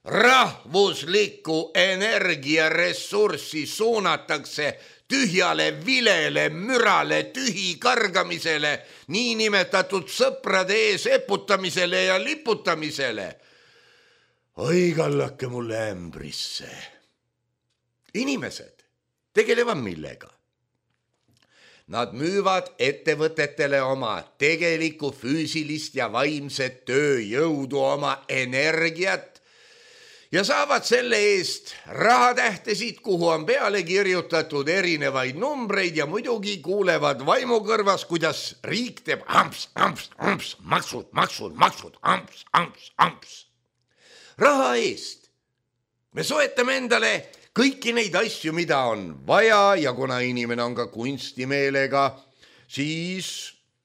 rahvuslikku energiaressurssi suunatakse tühjale vilele, mürale, tühi kargamisele, niinimetatud sõprade ees eputamisele ja liputamisele. Oi, kallake mulle ämbrisse. Inimesed tegelevad millega? Nad müüvad ettevõtetele oma tegelikku füüsilist ja vaimset tööjõudu, oma energiat ja saavad selle eest rahatähtesid, kuhu on peale kirjutatud erinevaid numbreid ja muidugi kuulevad vaimukõrvas, kuidas riik teeb amps, amps, amps, maksud, maksud, maksud, amps, amps, amps. Raha eest me soetame endale kõiki neid asju, mida on vaja ja kuna inimene on ka kunstimeelega, siis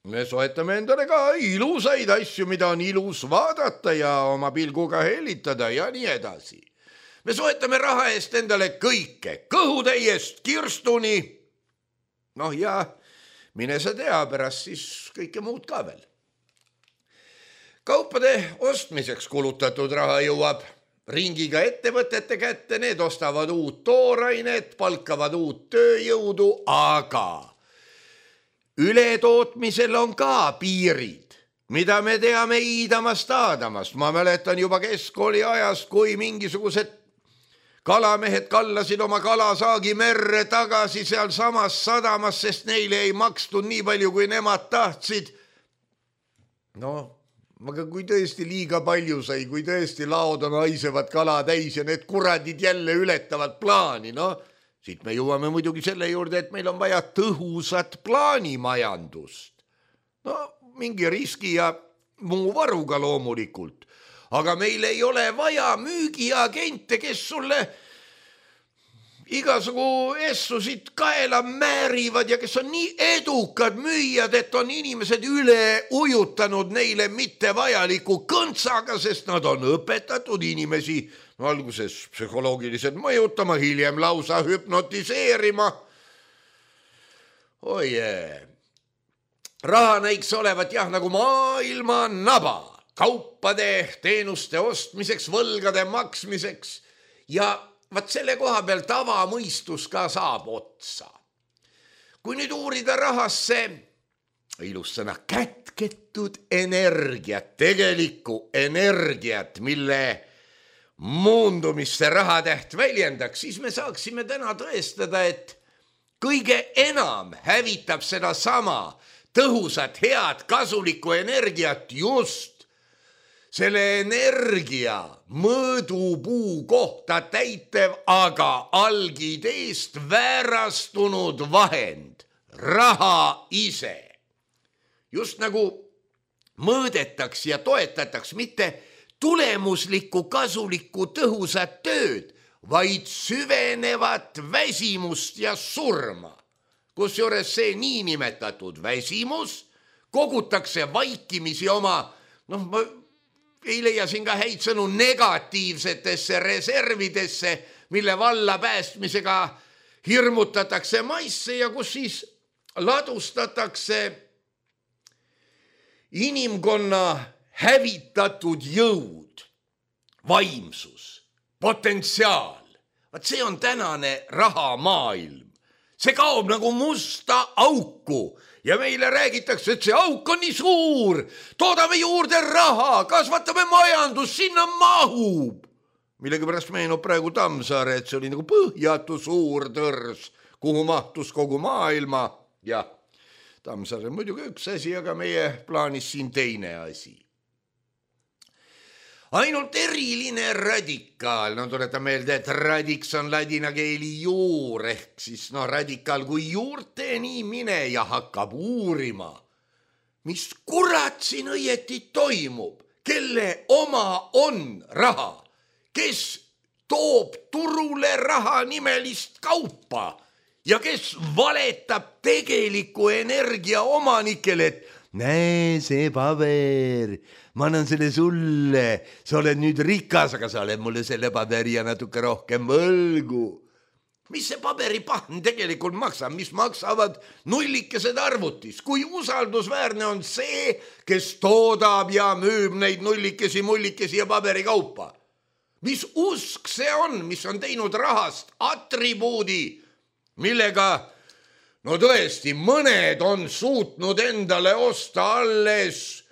me soetame endale ka ilusaid asju, mida on ilus vaadata ja oma pilguga hellitada ja nii edasi. Me soetame raha eest endale kõike, kõhutäiest kirstuni. Noh ja mine sa tea, pärast siis kõike muud ka veel. Kaupade ostmiseks kulutatud raha jõuab ringiga ettevõtete kätte, need ostavad uut toorainet, palkavad uut tööjõudu, aga ületootmisel on ka piirid, mida me teame iidamast aadamast. Ma mäletan juba keskkooli ajast, kui mingisugused kalamehed kallasid oma kalasaagi merre tagasi seal samas sadamas, sest neile ei makstud nii palju, kui nemad tahtsid. No, aga kui tõesti liiga palju sai, kui tõesti laod on haisevad kala täis ja need kuradid jälle ületavad plaani, no siit me jõuame muidugi selle juurde, et meil on vaja tõhusat plaanimajandust. No mingi riski ja muu varuga loomulikult, aga meil ei ole vaja müügiagente, kes sulle igasugu essusid kaela määrivad ja kes on nii edukad müüjad, et on inimesed üle ujutanud neile mittevajaliku kõntsaga, sest nad on õpetatud inimesi no, alguses psühholoogiliselt mõjutama, hiljem lausa hüpnotiseerima. Oi jee. Raha näiks olevat jah nagu maailma naba, kaupade, teenuste ostmiseks, võlgade maksmiseks ja vaat selle koha peal tavamõistus ka saab otsa. Kui nüüd uurida rahasse, ilus sõna, kätketud energiat, tegelikku energiat, mille muundumisse rahatäht väljendaks, siis me saaksime täna tõestada, et kõige enam hävitab seda sama tõhusat, head, kasulikku energiat just selle energia mõõdupuu kohta täitev, aga algideest väärastunud vahend, raha ise. Just nagu mõõdetaks ja toetataks mitte tulemuslikku, kasulikku, tõhusat tööd, vaid süvenevat väsimust ja surma. Kusjuures see niinimetatud väsimus kogutakse vaikimisi oma, noh, ma ei leia siin ka häid sõnu, negatiivsetesse reservidesse, mille valla päästmisega hirmutatakse maisse ja kus siis ladustatakse inimkonna hävitatud jõud, vaimsus, potentsiaal. Vaat see on tänane rahamaailm. See kaob nagu musta auku ja meile räägitakse, et see auk on nii suur, toodame juurde raha, kasvatame majandus, sinna mahub. Millegi pärast meenub praegu Tammsaare, et see oli nagu põhjatu suur tõrs, kuhu mahtus kogu maailma. Ja Tammsaare on muidugi üks asi, aga meie plaanis siin teine asi. Ainult eriline radikaal, no tuletan meelde, et radiks on ladina keeli juur, ehk siis no radikaal kui juurteni mine ja hakkab uurima. Mis kurat siin õieti toimub, kelle oma on raha, kes toob turule raha nimelist kaupa ja kes valetab tegeliku energia omanikele, et näe see paber, ma annan selle sulle, sa oled nüüd rikas, aga sa oled mulle selle paberi ja natuke rohkem võlgu. Mis see paberipahn tegelikult maksab, mis maksavad nullikesed arvutis, kui usaldusväärne on see, kes toodab ja müüb neid nullikesi, mullikesi ja paberikaupa. Mis usk see on, mis on teinud rahast atribuudi, millega no tõesti, mõned on suutnud endale osta alles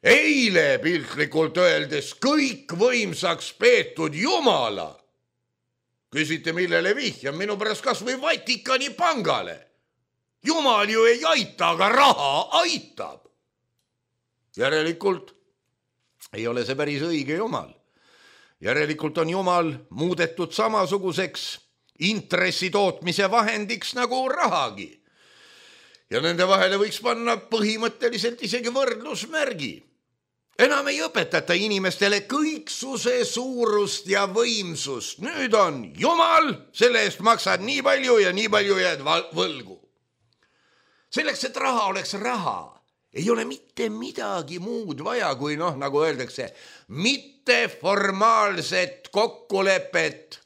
eile piltlikult öeldes kõikvõimsaks peetud Jumala. Küsite, millele vihjam, minu pärast kas või Vatikani pangale. Jumal ju ei aita, aga raha aitab. Järelikult ei ole see päris õige Jumal. Järelikult on Jumal muudetud samasuguseks intressi tootmise vahendiks nagu rahagi. Ja nende vahele võiks panna põhimõtteliselt isegi võrdlusmärgi. Enam ei õpetata inimestele kõiksuse suurust ja võimsust. Nüüd on Jumal, selle eest maksad nii palju ja nii palju jääd võlgu. Selleks, et raha oleks raha, ei ole mitte midagi muud vaja, kui noh, nagu öeldakse, mitte formaalset kokkulepet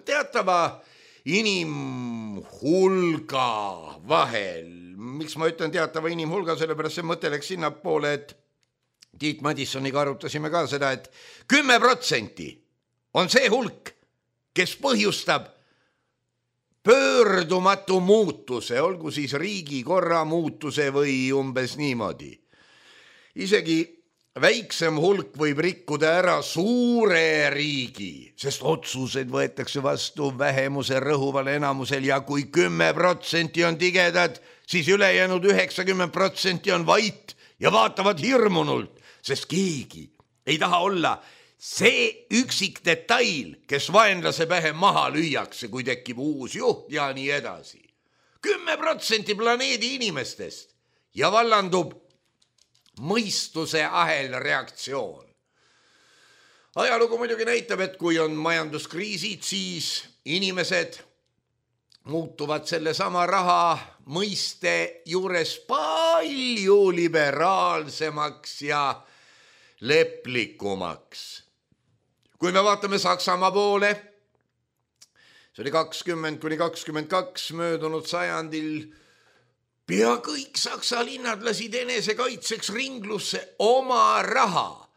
teatava inimhulga vahel. Miks ma ütlen teatava inimhulga, sellepärast see mõte läks sinna poole, et Tiit Madissoniga arutasime ka seda, et kümme protsenti on see hulk, kes põhjustab pöördumatu muutuse, olgu siis riigi korra muutuse või umbes niimoodi. Isegi väiksem hulk võib rikkuda ära suure riigi, sest otsused võetakse vastu vähemuse rõhuval enamusel ja kui kümme protsenti on tigedad, siis ülejäänud üheksakümmend protsenti on vait ja vaatavad hirmunult, sest keegi ei taha olla see üksik detail, kes vaenlase pähe maha lüüakse, kui tekib uus juht ja nii edasi. kümme protsenti planeedi inimestest ja vallandub mõistuse ahel reaktsioon. Ajalugu muidugi näitab, et kui on majanduskriisid, siis inimesed muutuvad selle sama raha mõiste juures palju liberaalsemaks ja leplikumaks. Kui me vaatame Saksamaa poole, see oli kakskümmend kuni kakskümmend kaks möödunud sajandil, pea kõik Saksa linnad lasid enesekaitseks ringlusse oma raha.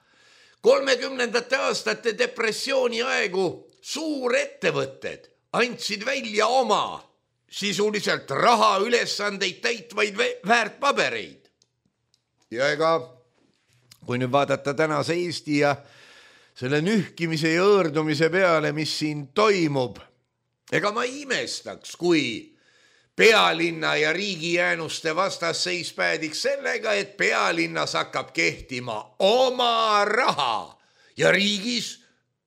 kolmekümnendate aastate depressiooni aegu suurettevõtted andsid välja oma sisuliselt raha ülesandeid täitvaid väärtpabereid. Ja ega, kui nüüd vaadata tänase Eesti ja selle nühkimise ja õõrdumise peale, mis siin toimub, ega ma imestaks, kui pealinna ja riigijäänuste vastasseis päädiks sellega, et pealinnas hakkab kehtima oma raha ja riigis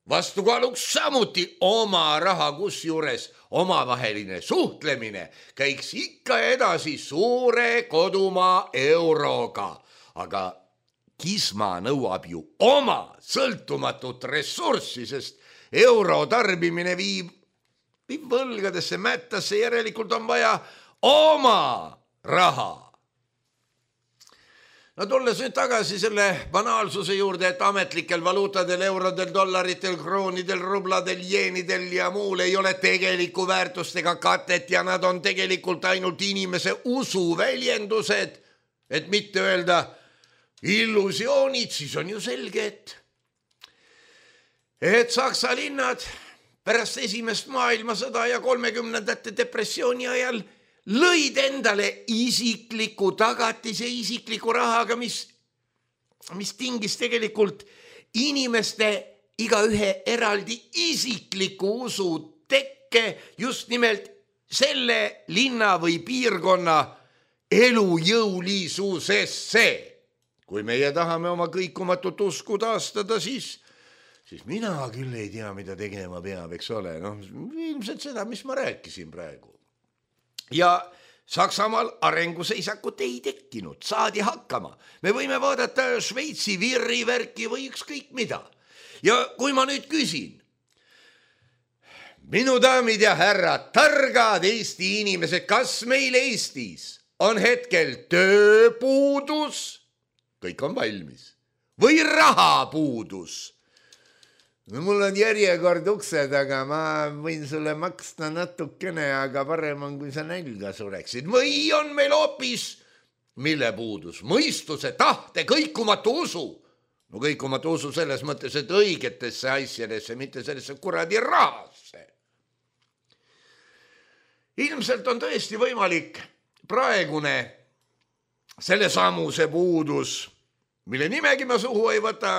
vastukaaluks samuti oma raha, kusjuures omavaheline suhtlemine käiks ikka edasi suure kodumaa euroga. Aga kisma nõuab ju oma sõltumatut ressurssi, sest euro tarbimine viib viib võlgadesse mättasse, järelikult on vaja oma raha. No tulles nüüd tagasi selle banaalsuse juurde, et ametlikel valuutadel, eurodel, dollaritel, kroonidel, rubladel, jeenidel ja muul ei ole tegeliku väärtust ega katet ja nad on tegelikult ainult inimese usu väljendused, et mitte öelda illusioonid, siis on ju selge, et, et Saksa linnad pärast esimest maailmasõda ja kolmekümnendate depressiooni ajal lõid endale isikliku tagatise isikliku rahaga, mis, mis tingis tegelikult inimeste igaühe eraldi isikliku usu tekke just nimelt selle linna või piirkonna elujõulisusesse. Kui meie tahame oma kõikumatut usku taastada, siis siis mina küll ei tea, mida tegema peab, eks ole. No, ilmselt seda, mis ma rääkisin praegu. Ja Saksamaal arenguseisakut ei tekkinud, saadi hakkama. Me võime vaadata Šveitsi virrivärki või ükskõik mida. Ja kui ma nüüd küsin, minu daamid ja härrad, targad Eesti inimesed, kas meil Eestis on hetkel tööpuudus? Kõik on valmis. Või rahapuudus? No mul on järjekord uksed, aga ma võin sulle maksta natukene, aga parem on, kui sa nälga sureksid. Või on meil hoopis mille puudus? Mõistuse, tahte, kõikumatu usu. No kõikumatu usu selles mõttes, et õigetesse asjadesse, mitte sellesse kuradi rahasse. Ilmselt on tõesti võimalik praegune selle samuse puudus, mille nimegi ma suhu ei võta,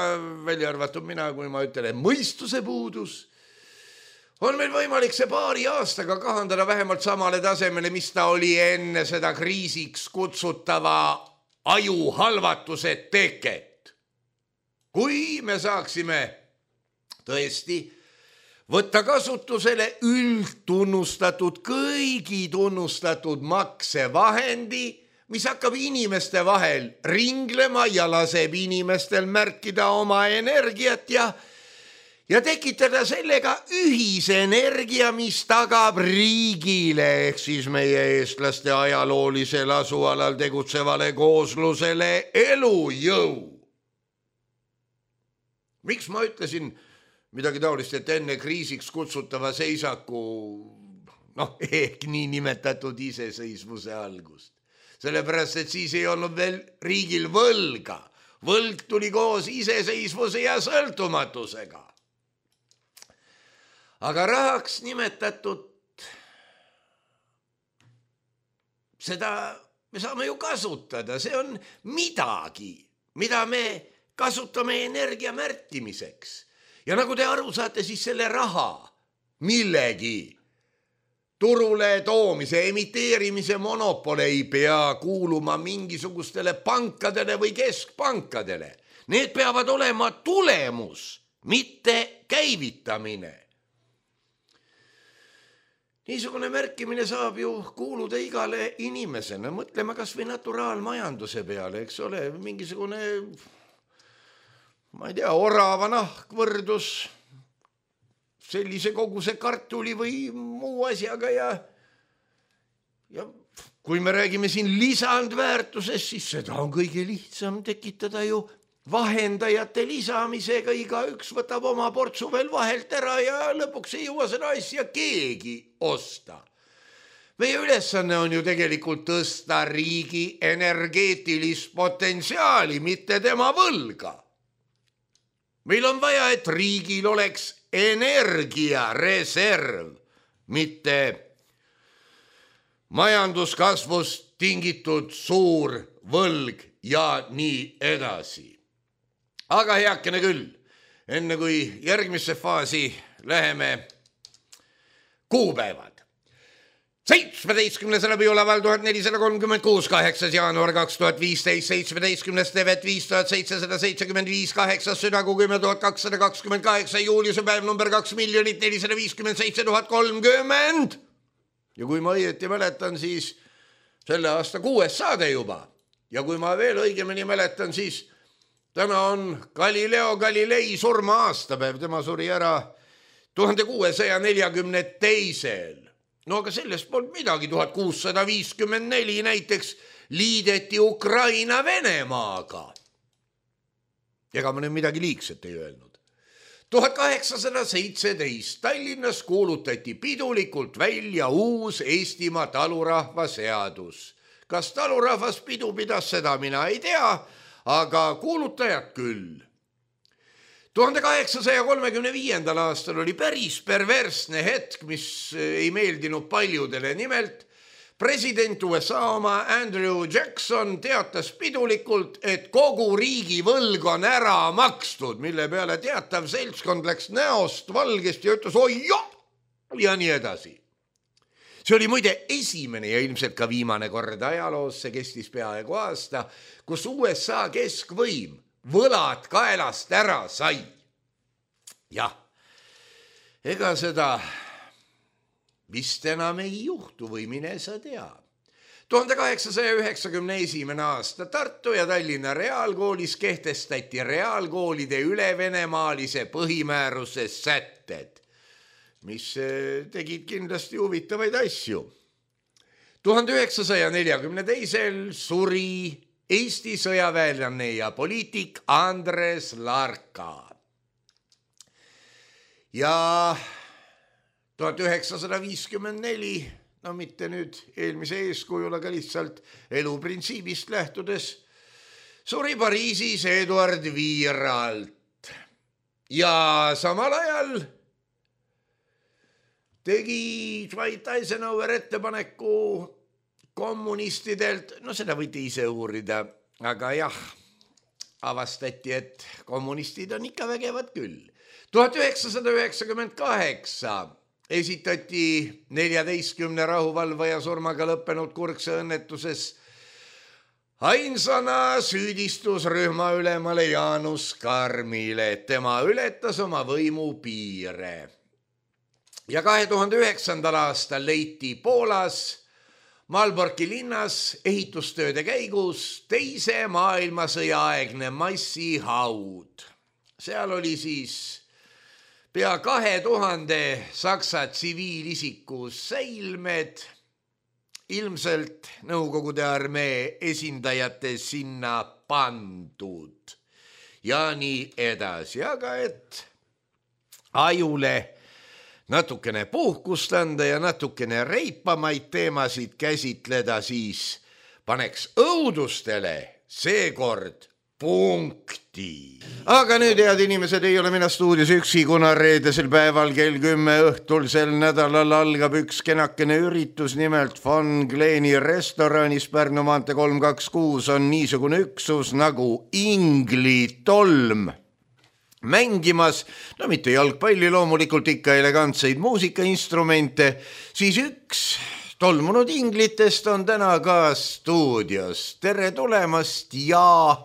välja arvatud mina, kui ma ütlen mõistuse puudus, on meil võimalik see paari aastaga kahandada vähemalt samale tasemele, mis ta oli enne seda kriisiks kutsutava ajuhalvatuse teket. Kui me saaksime tõesti võtta kasutusele üldtunnustatud, kõigi tunnustatud maksevahendi, mis hakkab inimeste vahel ringlema ja laseb inimestel märkida oma energiat ja, ja tekitada sellega ühise energia, mis tagab riigile ehk siis meie eestlaste ajaloolisel asualal tegutsevale kooslusele elujõu. Miks ma ütlesin midagi taolist, et enne kriisiks kutsutava seisaku, noh, ehk nii nimetatud iseseisvuse algust? Sellepärast, et siis ei olnud veel riigil võlga. Võlg tuli koos iseseisvuse ja sõltumatusega. Aga rahaks nimetatud, seda me saame ju kasutada. See on midagi, mida me kasutame energia märtimiseks ja nagu te aru saate, siis selle raha millegi turule toomise, emiteerimise monopole ei pea kuuluma mingisugustele pankadele või keskpankadele. Need peavad olema tulemus, mitte käivitamine. Niisugune märkimine saab ju kuuluda igale inimesena. Mõtleme kas või naturaalmajanduse peale, eks ole, mingisugune, ma ei tea, orava nahk võrdus sellise koguse kartuli või muu asjaga ja, ja kui me räägime siin lisandväärtusest, siis seda on kõige lihtsam tekitada ju vahendajate lisamisega, iga üks võtab oma portsu veel vahelt ära ja lõpuks ei jõua seda asja keegi osta. Meie ülesanne on ju tegelikult tõsta riigi energeetilist potentsiaali, mitte tema võlga. Meil on vaja, et riigil oleks energiareserv, mitte majanduskasvust tingitud suur võlg ja nii edasi. Aga heakene küll, enne kui järgmisse faasi läheme kuupäevad. seitsmeteistkümnes läbiolaval tuhat nelisada kolmkümmend kuus, kaheksas jaanuar kaks tuhat viisteist, seitsmeteistkümnes tevet viis tuhat seitsesada seitsekümmend viis, kaheksas südagu kümme tuhat kakssada kakskümmend kaheksa, juuliuse päev number kaks miljonit nelisada viiskümmend seitse tuhat kolmkümmend. Ja kui ma õieti mäletan, siis selle aasta kuues saade juba. Ja kui ma veel õigemini mäletan, siis täna on Galileo Galilei surma aastapäev. Tema suri ära tuhande kuuesaja neljakümne teisel. No aga sellest polnud midagi, tuhat kuussada viiskümmend neli näiteks liideti Ukraina Venemaaga. Ega ma nüüd midagi liigset ei öelnud. tuhat kaheksasada seitseteist Tallinnas kuulutati pidulikult välja uus Eestimaa talurahva seadus. Kas talurahvas pidu pidas, seda mina ei tea, aga kuulutajad küll. tuhande kaheksasaja kolmekümne viiendal aastal oli päris perversne hetk, mis ei meeldinud paljudele. Nimelt president U S A oma Andrew Jackson teatas pidulikult, et kogu riigi võlg on ära makstud, mille peale teatav seltskond läks näost valgest ja ütles oi jah ja nii edasi. See oli muide esimene ja ilmselt ka viimane kord ajaloos, see kestis peaaegu aasta, kus U S A keskvõim võlad kaelast ära sai. Jah, ega seda vist enam ei juhtu või mine sa tea. tuhande kaheksasaja üheksakümne esimene aasta Tartu ja Tallinna reaalkoolis kehtestati reaalkoolide ülevenemaalise põhimääruse sätted, mis tegid kindlasti huvitavaid asju. tuhande üheksasaja neljakümne teisel suri Eesti sõjaväelane ja poliitik Andres Larka. Ja tuhat üheksasada viiskümmend neli, no mitte nüüd eelmise eeskujul, aga lihtsalt eluprintsiibist lähtudes, suri Pariisis Eduard Viiralt. Ja samal ajal tegi Dwight Eisenhower ettepaneku kommunistidelt, no seda võite ise uurida, aga jah, avastati, et kommunistid on ikka vägevad küll. tuhat üheksasada üheksakümmend kaheksa esitati neljateistkümne rahuvalvaja surmaga lõppenud kurkse õnnetuses ainsana süüdistusrühma ülemale Jaanus Karmile, et tema ületas oma võimu piire. Ja kahe tuhande üheksandal aastal leiti Poolas Malborki linnas ehitustööde käigus teise maailmasõja aegne massihaud. Seal oli siis pea kahe tuhande saksa tsiviilisiku säilmed, ilmselt Nõukogude armee esindajate sinna pandud ja nii edasi, aga et ajule natukene puhkust anda ja natukene reipamaid teemasid käsitleda, siis paneks õudustele seekord punkti. Aga nüüd, head inimesed, ei ole mina stuudios üksi, kuna reedesel päeval kell kümme õhtul sel nädalal algab üks kenakene üritus, nimelt Von Gleni restoranis Pärnu maantee kolm kaks kuus on niisugune üksus nagu Ingli tolm mängimas, no mitte jalgpalli, loomulikult ikka elegantseid muusikainstrumente, siis üks tolmunud inglitest on täna ka stuudios. Tere tulemast ja...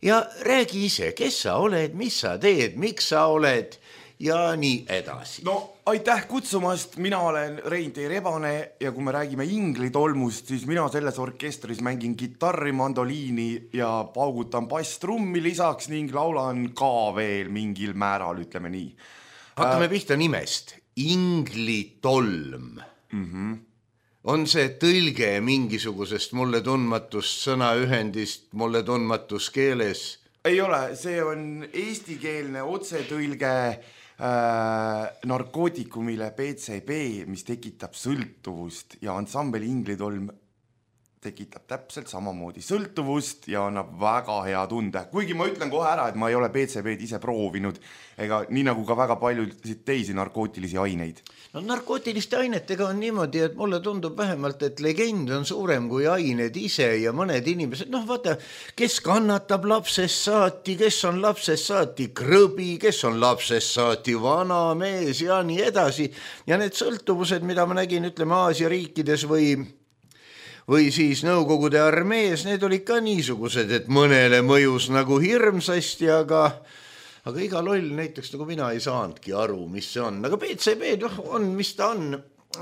Ja räägi ise, kes sa oled, mis sa teed, miks sa oled ja nii edasi. No aitäh kutsumast, mina olen Rein-Tee Rebane ja kui me räägime Ingli tolmust, siis mina selles orkestris mängin kitarri, mandoliini ja paugutan basstrummi lisaks ning laulan ka veel mingil määral, ütleme nii. Hakkame pihta nimest. Ingli tolm. Mhm. On see tõlge mingisugusest mulle tundmatust sõnaühendist, mulle tundmatus keeles? Ei ole, see on eestikeelne otsetõlge äh, narkootikumile B C B, mis tekitab sõltuvust ja ansambel Ingli tolm tekitab täpselt samamoodi sõltuvust ja annab väga hea tunde. Kuigi ma ütlen kohe ära, et ma ei ole B C B-d ise proovinud, ega nii nagu ka väga palju teisi narkootilisi aineid. No narkootiliste ainetega on niimoodi, et mulle tundub vähemalt, et legend on suurem kui ained ise ja mõned inimesed, noh vaata, kes kannatab lapsest saati, kes on lapsest saati krõbi, kes on lapsest saati vana mees ja nii edasi. Ja need sõltuvused, mida ma nägin, ütleme Aasia riikides või või siis Nõukogude armees, need olid ka niisugused, et mõnele mõjus nagu hirmsasti, aga, aga iga loll näiteks nagu mina ei saanudki aru, mis see on. Aga B C B on, mis ta on,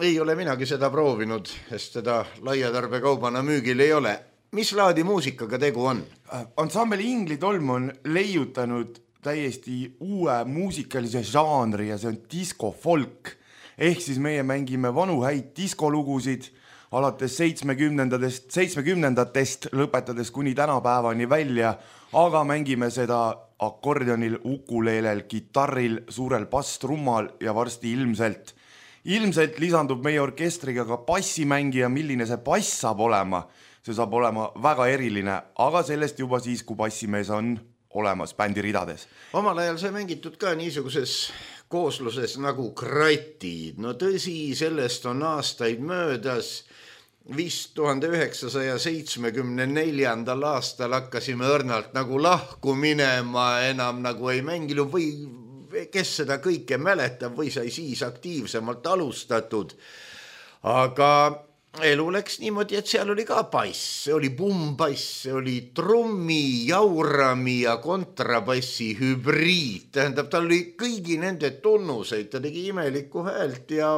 ei ole minagi seda proovinud, sest seda laiatarbekaubana müügil ei ole. Mis laadi muusikaga tegu on? Ansambel Ingli tolm on leiutanud täiesti uue muusikalise žanri ja see on disco-folk. Ehk siis meie mängime vanu häid diskolugusid, alates seitsmekümnendatest, seitsmekümnendatest lõpetades kuni tänapäevani välja, aga mängime seda akordionil, ukuleelel, kitarril, suurel basstrummal ja varsti ilmselt. Ilmselt lisandub meie orkestriga ka bassimängija, milline see bass saab olema. See saab olema väga eriline, aga sellest juba siis, kui bassimees on olemas bändi ridades. Omal ajal see mängitud ka niisuguses koosluses nagu kratid. No tõsi, sellest on aastaid möödas. Vist tuhande üheksasaja seitsmekümne neljandal aastal hakkasime õrnalt nagu lahku minema, enam nagu ei mänginud või kes seda kõike mäletab või sai siis aktiivsemalt alustatud. Aga elu läks niimoodi, et seal oli ka bass, see oli bumbass, see oli trummi, jaurami ja kontrabassi hübriid. Tähendab, tal oli kõigi nende tunnuseid, ta tegi imelikku häält ja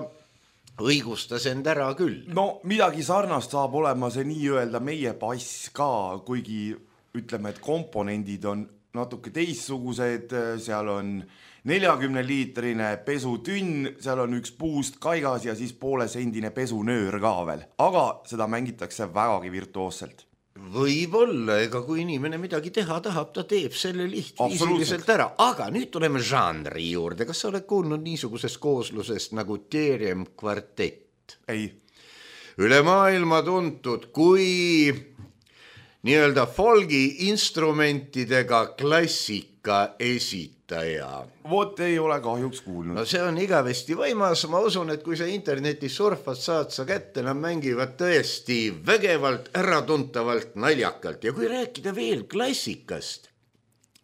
õigustas end ära küll. No midagi sarnast saab olema see nii-öelda meie bass ka, kuigi ütleme, et komponendid on natuke teissugused, seal on neljakümne liitrine pesutünn, seal on üks puust kaigas ja siis poolesendine pesunöör ka veel, aga seda mängitakse vägagi virtuoosselt. Võib-olla, ega kui inimene midagi teha tahab, ta teeb selle lihtviisiliselt ära. Aga nüüd tuleme žanri juurde. Kas sa oled kuulnud niisugusest kooslusest nagu Terem kvartett? Ei. Üle maailma tuntud kui nii-öelda folgi instrumentidega klassika esitaja. Vot ei ole kahjuks kuulnud. No see on igavesti võimas. Ma usun, et kui sa internetis surfad, saad sa kätte, nad mängivad tõesti vägevalt, äratuntavalt, naljakalt. Ja kui rääkida veel klassikast,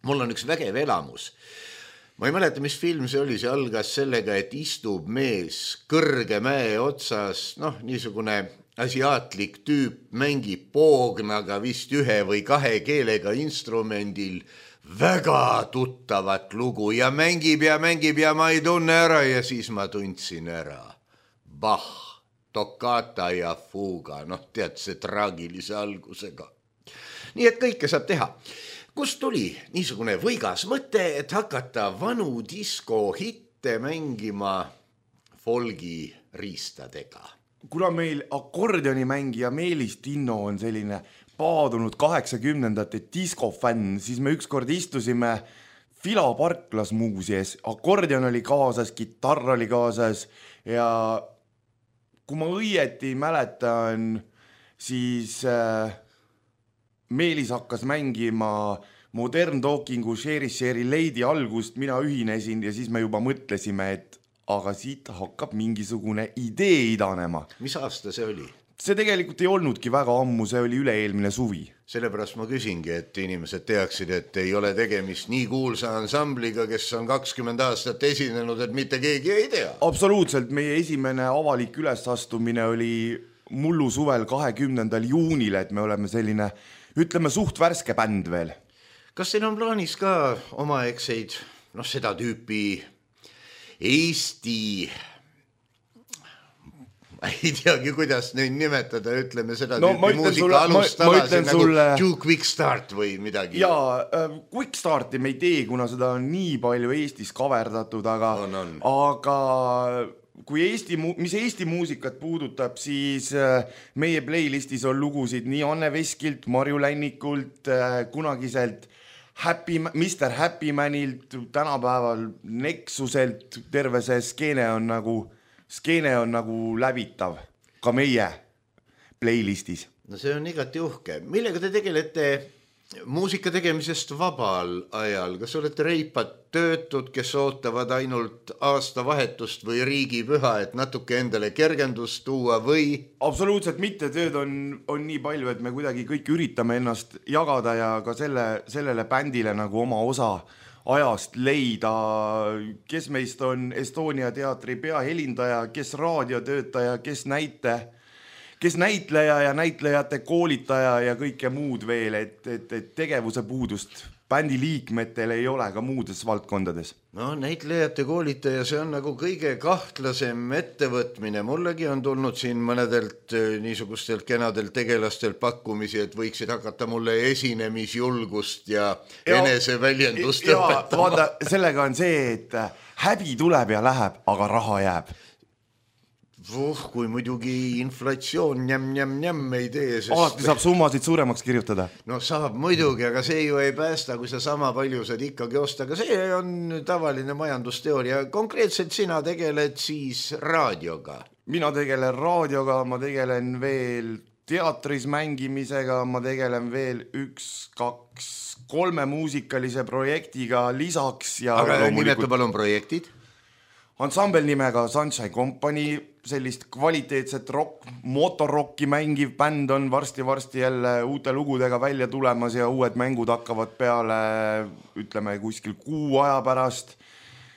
mul on üks vägev elamus. Ma ei mäleta, mis film see oli, see algas sellega, et istub mees kõrge mäe otsas, noh, niisugune asiaatlik tüüp mängib poognaga vist ühe või kahe keelega instrumendil väga tuttavat lugu ja mängib ja mängib ja ma ei tunne ära ja siis ma tundsin ära. Bach, toccata ja fuga, noh tead see traagilise algusega. Nii et kõike saab teha. Kust tuli niisugune võigas mõte, et hakata vanu disko hitte mängima folgi riistadega? Kuna meil akordionimängija Meelis Tinno on selline paadunud kaheksakümnendate diskofänn, siis me ükskord istusime Fila Parklas muuseas, akordion oli kaasas, kitarr oli kaasas ja kui ma õieti mäletan, siis äh, Meelis hakkas mängima Modern Talkingu Sherry Sherry Lady algust, mina ühinesin ja siis me juba mõtlesime, et aga siit hakkab mingisugune idee idanema. Mis aasta see oli? See tegelikult ei olnudki väga ammu, see oli üle-eelmine suvi. Sellepärast ma küsingi, et inimesed teaksid, et ei ole tegemist nii kuulsa ansambliga, kes on kakskümmend aastat esinenud, et mitte keegi ei tea. Absoluutselt, meie esimene avalik ülesastumine oli mullu suvel kahekümnendal juunil, et me oleme selline, ütleme, suht värske bänd veel. Kas teil on plaanis ka omaegseid, noh seda tüüpi Eesti... ei teagi, kuidas neid nimetada, ütleme seda no, tüüpi muusika alustalasid nagu sulle... Two Quick Start või midagi. Jaa, äh, Quick Starti me ei tee, kuna seda on nii palju Eestis kaverdatud, aga, on, on. aga kui Eesti, mis Eesti muusikat puudutab, siis äh, meie playlistis on lugusid nii Anne Veskilt, Marju Lännikult, äh, kunagiselt Happy, mister Happy Manilt, tänapäeval Nexuselt, terve see skeene on nagu... Skeene on nagu läbitav ka meie playlistis. No see on igati uhke. Millega te tegelete muusika tegemisest vabal ajal? Kas olete reipad töötud, kes ootavad ainult aastavahetust või riigipüha, et natuke endale kergendust tuua või? Absoluutselt mitte. Tööd on, on nii palju, et me kuidagi kõik üritame ennast jagada ja ka selle, sellele bändile nagu oma osa ajast leida, kes meist on Estonia teatri peahelindaja, kes raadiotöötaja, kes näite, kes näitleja ja näitlejate koolitaja ja kõike muud veel, et, et, et tegevuse puudust bändi liikmetel ei ole ka muudes valdkondades. No näitlejate koolitaja, see on nagu kõige kahtlasem ettevõtmine. Mullegi on tulnud siin mõnedelt niisugustelt kenadelt tegelastelt pakkumisi, et võiksid hakata mulle esinemisjulgust ja, ja eneseväljendust ja, õpetama. Vaata, sellega on see, et häbi tuleb ja läheb, aga raha jääb. Vuh, kui muidugi inflatsioon njäm, njäm, njäm ei tee. Sest... Alati saab summasid suuremaks kirjutada. No saab muidugi, aga see ju ei päästa, kui sa sama palju saad ikkagi osta. Aga see on tavaline majandusteooria. Konkreetselt sina tegeled siis raadioga? Mina tegelen raadioga, ma tegelen veel teatris mängimisega, ma tegelen veel üks, kaks, kolme muusikalise projektiga lisaks. Ja aga nimetu palun projektid? Ansambel nimega Sunshine Company, sellist kvaliteetset rock, motorrocki mängiv bänd on varsti-varsti jälle uute lugudega välja tulemas ja uued mängud hakkavad peale, ütleme, kuskil kuu aja pärast.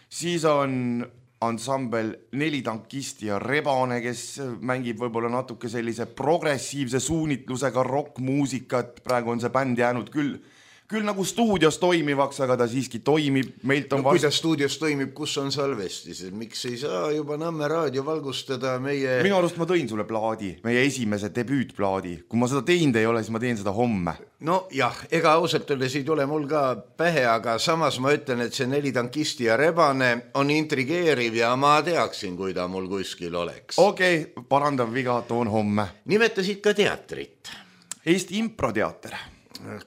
Siis on ansambel Neli tankisti ja Rebane, kes mängib võib-olla natuke sellise progressiivse suunitlusega rockmuusikat. Praegu on see bänd jäänud küll Küll nagu stuudios toimivaks, aga ta siiski toimib. Meilt on no, vast... Kuidas stuudios toimib, kus on salvestis? Miks ei saa juba Nõmme raadio valgustada meie... Minu arust ma tõin sulle plaadi, meie esimese debüütplaadi. Kui ma seda teinud ei ole, siis ma teen seda homme. No jah, ega ausalt öeldes ei tule mul ka pähe, aga samas ma ütlen, et see Neli tankisti ja Rebane on intrigeeriv ja ma teaksin, kui ta mul kuskil oleks. Okei, okay, parandav viga, toon homme. Nimetasid ka teatrit. Eesti improteater.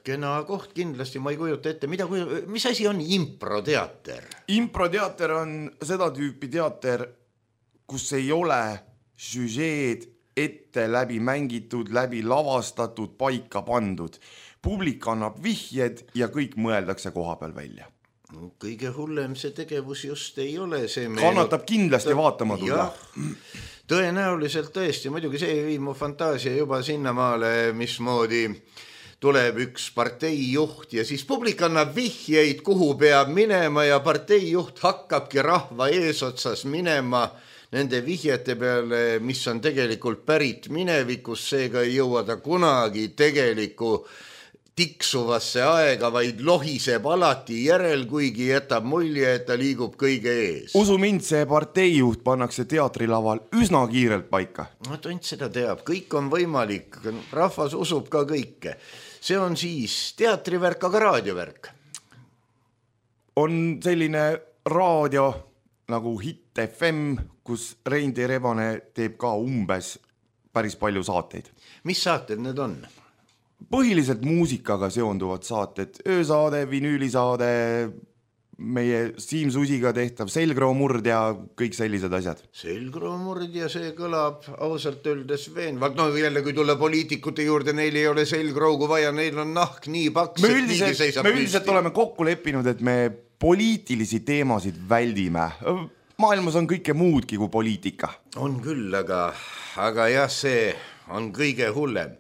Kena koht kindlasti, ma ei kujuta ette, mida, mis asi on improteater? Improteater on seda tüüpi teater, kus ei ole süžeed ette läbi mängitud, läbi lavastatud, paika pandud. Publik annab vihjed ja kõik mõeldakse koha peal välja. Kõige hullem see tegevus just ei ole. See Kannatab kindlasti vaatama tulla. Tõenäoliselt tõesti, muidugi see viib mu fantaasia juba sinnamaale, mismoodi tuleb üks parteijuht ja siis publik annab vihjeid, kuhu peab minema ja parteijuht hakkabki rahva eesotsas minema nende vihjete peale, mis on tegelikult pärit minevikus, seega ei jõua ta kunagi tegeliku tiksuvasse aega, vaid lohiseb alati järel, kuigi jätab mulje, et ta liigub kõige ees. Usu mind, see parteijuht pannakse teatrilaval üsna kiirelt paika. No tont seda teab, kõik on võimalik, rahvas usub ka kõike. See on siis teatrivärk, aga raadiovärk. On selline raadio nagu Hit F M, kus Reindi Rebane teeb ka umbes päris palju saateid. Mis saated need on? Põhiliselt muusikaga seonduvad saated, öösaade, vinüülisaade, meie Siim Susiga tehtav selgroomurd ja kõik sellised asjad. Selgroomurd ja see kõlab ausalt öeldes veenvalt. No jälle, kui tulla poliitikute juurde, neil ei ole selgroogu vaja, neil on nahk nii paks, me üldiselt, me üldiselt oleme kokku leppinud, et me poliitilisi teemasid väldime. Maailmas on kõike muudki kui poliitika. On küll, aga, aga jah, see on kõige hullem.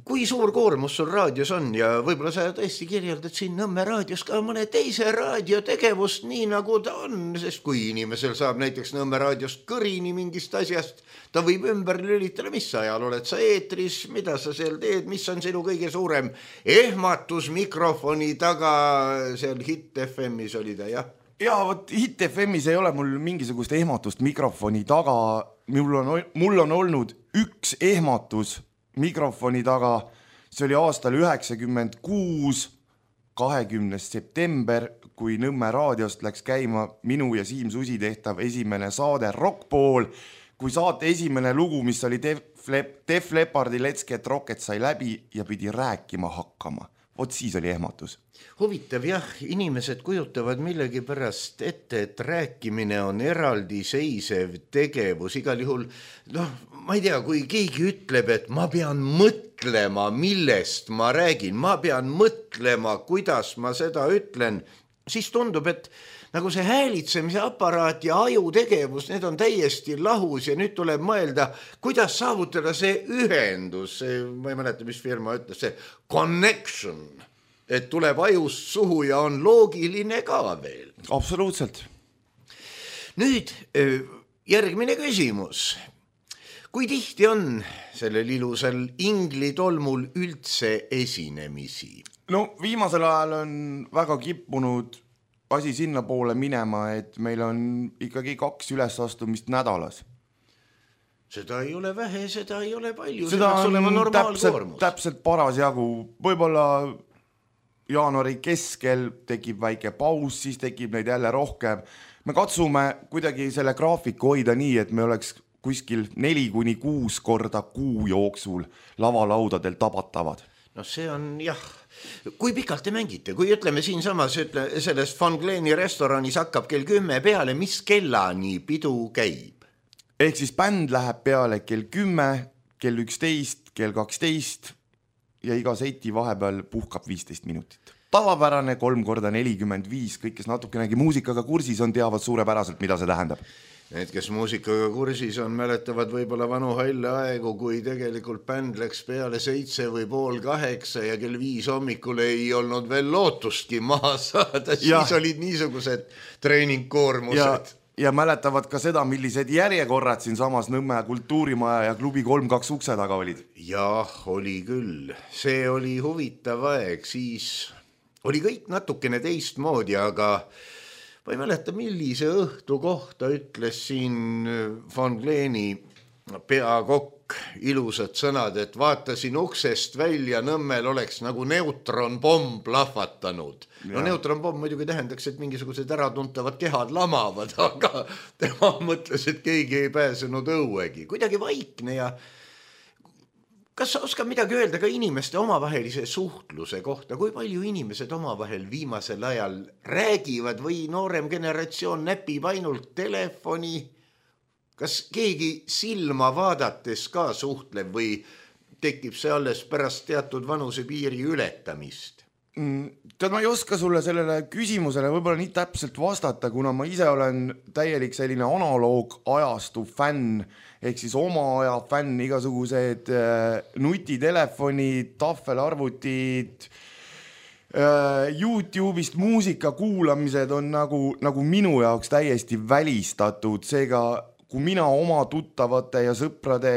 Kui suur koormus sul raadios on ja võib-olla sa tõesti kirjeldad siin Nõmme raadios ka mõne teise raadiotegevust nii nagu ta on, sest kui inimesel saab näiteks Nõmme raadiost kõrini mingist asjast, ta võib ümber lülitada, mis ajal oled sa eetris, mida sa seal teed, mis on sinu kõige suurem ehmatus mikrofoni taga, seal Hit F M-is oli ta, jah? Ja võt, Hit F M-is ei ole mul mingisugust ehmatust mikrofoni taga, mul on, mul on olnud üks ehmatus mikrofoni taga, see oli aastal üheksakümmend kuus, kahekümnes september, kui Nõmme raadiost läks käima minu ja Siim Susi tehtav esimene saade Rockpool, kui saate esimene lugu, mis oli Def, Lep, Def Leppardi Let's Get Rocket sai läbi ja pidi rääkima hakkama. Vot siis oli ehmatus. Huvitav, jah, inimesed kujutavad millegi pärast ette, et rääkimine on eraldiseisev tegevus. Igal juhul, noh, ma ei tea, kui keegi ütleb, et ma pean mõtlema, millest ma räägin, ma pean mõtlema, kuidas ma seda ütlen, siis tundub, et nagu see häälitsemise aparaat ja aju tegevus, need on täiesti lahus ja nüüd tuleb mõelda, kuidas saavutada see ühendus, see, ma ei mäleta, mis firma ütles, see connection, et tuleb ajust suhu ja on loogiline ka veel. Absoluutselt. Nüüd järgmine küsimus. Kui tihti on sellel ilusal inglitolmul üldse esinemisi? No viimasel ajal on väga kippunud asi sinna poole minema, et meil on ikkagi kaks ülesastumist nädalas. Seda ei ole vähe, seda ei ole palju. Seda on täpselt, täpselt paras jagu. Võib-olla jaanuari keskel tekib väike paus, siis tekib neid jälle rohkem. Me katsume kuidagi selle graafiku hoida nii, et me oleks kuskil neli kuni kuus korda kuu jooksul lavalaudadel tabatavad. No see on, jah, kui pikalt te mängite? Kui ütleme siin samas, ütle, selles Von Gleni restoranis hakkab kell kümme peale, mis kellani pidu käib? Ehk siis bänd läheb peale kell kümme, kell üksteist, kell kaksteist ja iga seti vahepeal puhkab viisteist minutit. Tavapärane kolm korda nelikümmend viis, kõik, kes natukenegi muusikaga kursis on, teavad suurepäraselt, mida see tähendab. Need, kes muusikaga kursis on, mäletavad võib-olla vanu halle aegu, kui tegelikult bänd läks peale seitse või pool kaheksa ja kell viis hommikul ei olnud veel lootustki maha saada, siis ja. Olid niisugused treeningkoormused. Ja, ja mäletavad ka seda, millised järjekorrad siin samas Nõmme kultuurimaja ja klubi kolm kaks ukse taga olid. Jah, oli küll. See oli huvitav aeg, siis oli kõik natukene teistmoodi, aga ma ei mäleta, millise õhtu kohta ütles siin Von Gleni peakokk ilusad sõnad, et vaatasin uksest välja, Nõmmel oleks nagu neutronpomm plahvatanud. No neutronpomm muidugi tähendaks, et mingisugused äratuntavad kehad lamavad, aga tema mõtles, et keegi ei pääsenud õuegi. Kuidagi vaikne ja kas sa oskad midagi öelda ka inimeste omavahelise suhtluse kohta? Kui palju inimesed omavahel viimasel ajal räägivad või noorem generatsioon näpib ainult telefoni? Kas keegi silma vaadates ka suhtleb või tekib see alles pärast teatud vanuse piiri ületamist? Tead, ma ei oska sulle sellele küsimusele võib-olla nii täpselt vastata, kuna ma ise olen täielik selline analoog ajastu fänn, ehk siis oma aja fänn, igasugused nutitelefonid, tahvelarvutid, YouTube'ist muusika kuulamised on nagu, nagu minu jaoks täiesti välistatud. Seega, kui mina oma tuttavate ja sõprade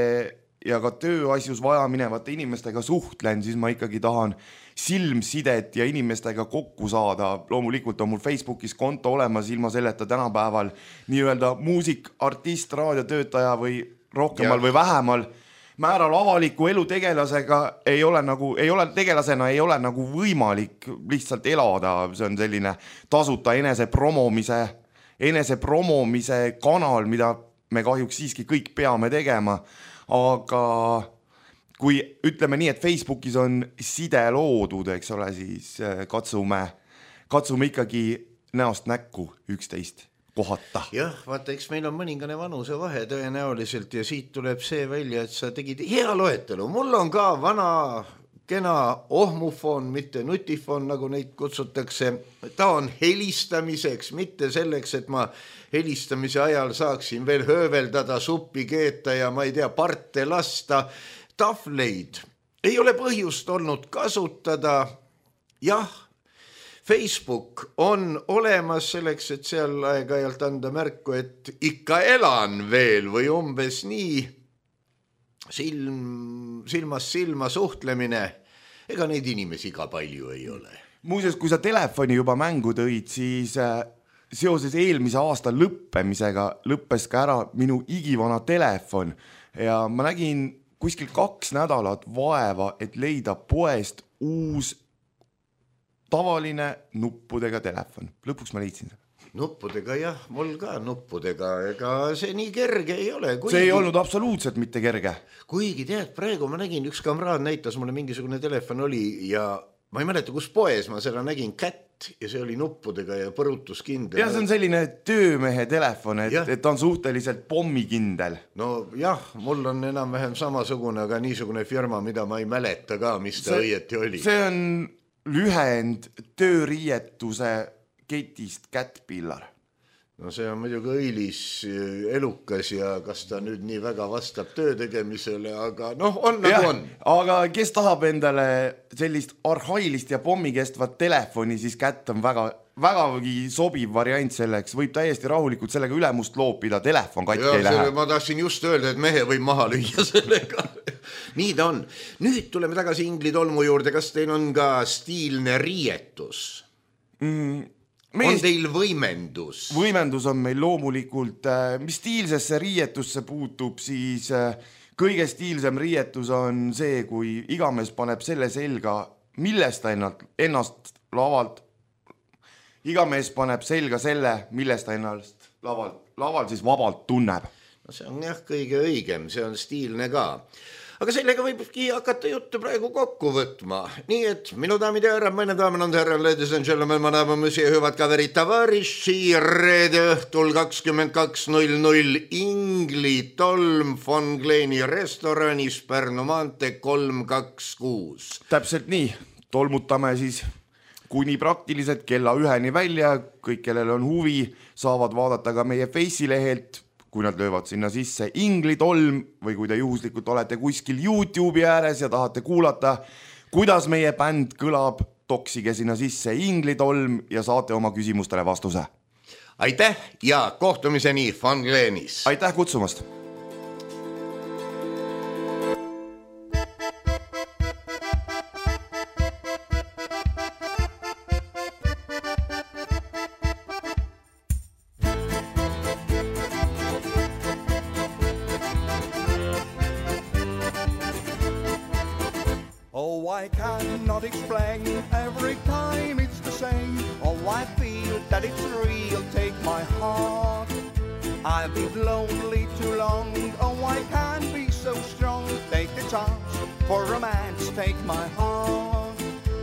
ja ka tööasjus vaja minevate inimestega suhtlen, siis ma ikkagi tahan silmsidet ja inimestega kokku saada. Loomulikult on mul Facebookis konto olemas ilma selleta tänapäeval nii-öelda muusik, artist, raadiotöötaja või rohkemal ja. Või vähemal määral avaliku elu tegelasega ei ole nagu, ei ole tegelasena ei ole nagu võimalik lihtsalt elada. See on selline tasuta enese promomise, enese promomise kanal, mida me kahjuks siiski kõik peame tegema. Aga kui ütleme nii, et Facebookis on side loodud, eks ole, siis katsume, katsume ikkagi näost näkku üksteist kohata. Jah, vaata, eks meil on mõningane vanuse vahe tõenäoliselt ja siit tuleb see välja, et sa tegid hea loetelu. Mul on ka vana kena ohmufon, mitte nutifon, nagu neid kutsutakse. Ta on helistamiseks, mitte selleks, et ma helistamise ajal saaksin veel hööveldada, suppi keeta ja ma ei tea, parte lasta. Tahvleid ei ole põhjust olnud kasutada. Jah, Facebook on olemas selleks, et seal aeg-ajalt anda märku, et ikka elan veel või umbes nii silm, silmas silma suhtlemine. Ega neid inimesi ka palju ei ole. Muuseas, kui sa telefoni juba mängu tõid, siis seoses eelmise aasta lõppemisega lõppes ka ära minu igivana telefon ja ma nägin kuskil kaks nädalat vaeva, et leida poest uus tavaline nuppudega telefon. Lõpuks ma leidsin seda. Nuppudega jah, mul ka nuppudega, ega see nii kerge ei ole. Kuigi, see ei olnud absoluutselt mitte kerge. Kuigi tead, praegu ma nägin, üks kamraad näitas mulle mingisugune telefon oli ja ma ei mäleta, kus poes ma seda nägin, kätt ja see oli nuppudega ja põrutuskindel. Ja see on selline töömehe telefon, et, et ta on suhteliselt pommikindel. No jah, mul on enam-vähem samasugune, aga niisugune firma, mida ma ei mäleta ka, mis ta see, õieti oli. See on lühend tööriietuse ketist Caterpillar. No see on muidugi õilis, elukas ja kas ta nüüd nii väga vastab töö tegemisele, aga noh, on nagu ja, on. Aga kes tahab endale sellist arhailist ja pommikestvat telefoni, siis Cat on väga, vägagi sobiv variant selleks. Võib täiesti rahulikult sellega ülemust loopida, telefon katki ja, ei lähe. Ma tahtsin just öelda, et mehe võib maha lüüa sellega. Nii ta on. Nüüd tuleme tagasi Ingli tolmu juurde. Kas teil on ka stiilne riietus? Mm, on teil võimendus? Võimendus on meil loomulikult. Mis stiilsesse riietusse puutub, siis kõige stiilsem riietus on see, kui igamees paneb selle selga, millest ta ennast, ennast lavalt, igamees paneb selga selle, millest ta ennast lavalt, laval siis vabalt tunneb. No see on jah kõige õigem, see on stiilne ka. Aga sellega võibki hakata juttu praegu kokku võtma. Nii et minu daamid ja härrad, meine damen und herren, ladies and gentlemen, ma daamad mõsi ja hüvad kaverid tavariši reede õhtul kakskümmend kaks null null Ingli tolm von Gleeni restoranis Pärnu maantee kolm kaks kuus. Täpselt nii, tolmutame siis kuni praktiliselt kella üheni välja. Kõik, kellel on huvi, saavad vaadata ka meie Face'i lehelt, kui nad löövad sinna sisse Ingli tolm või kui te juhuslikult olete kuskil YouTube'i ääres ja tahate kuulata, kuidas meie bänd kõlab, toksige sinna sisse Ingli tolm ja saate oma küsimustele vastuse. Aitäh ja kohtumiseni von Gleenis. Aitäh kutsumast. I cannot explain, every time it's the same. Oh, I feel that it's real, take my heart. I've been lonely too long, oh, I can't be so strong. Take the chance for romance, take my heart.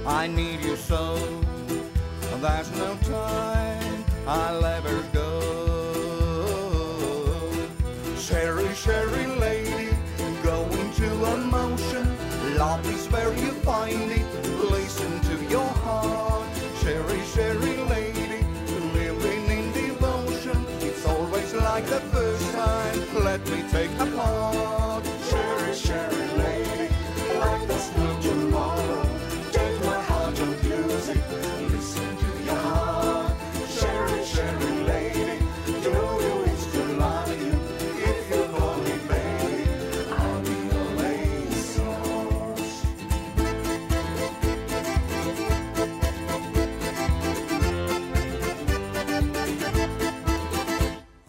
I need you so, there's no time, I'll ever go. Sherry, Sherry lady, going to emotion. Love is where you find it, listen to your heart. Sherry, Sherry lady, living in devotion. It's always like the first time, let me take a part. Sherry, Sherry lady, like there's no tomorrow. Take my heart and use it, listen to your heart. Sherry, Sherry lady, you know you wish to love you. If you call me baby, I'll be your lace source.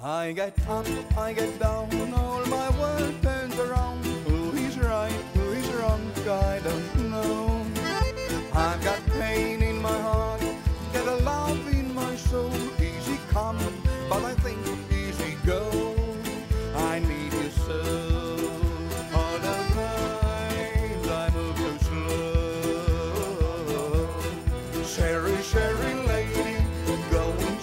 I get up, I get down, all my world turns around. Who is right, who is wrong, I don't know. I've got pain in my heart, get a love in my soul. Easy come, but I think easy go. I need you so. Other times I move too slow. Sherry, Sherry lady, going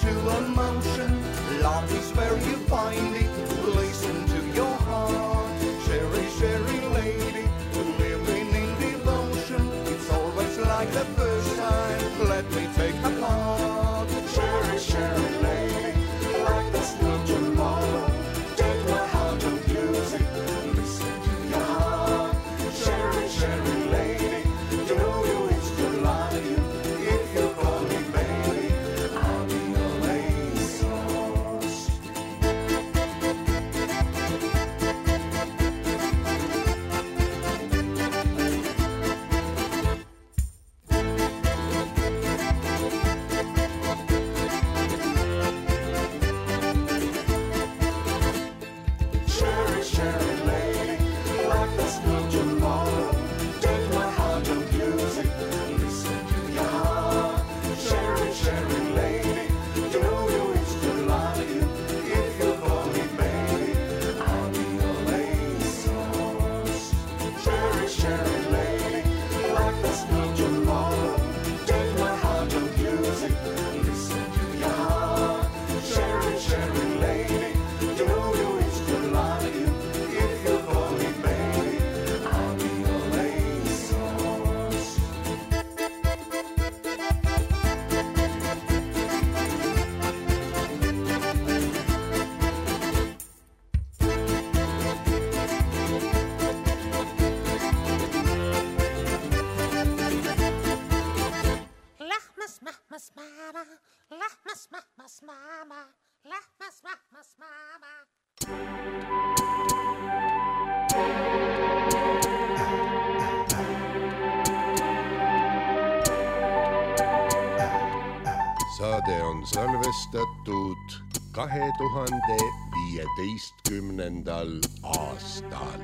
Lähmas maama, lähmas, lähmas maama. Saade on salvestatud kahe tuhande viieteistkümnendal aastal.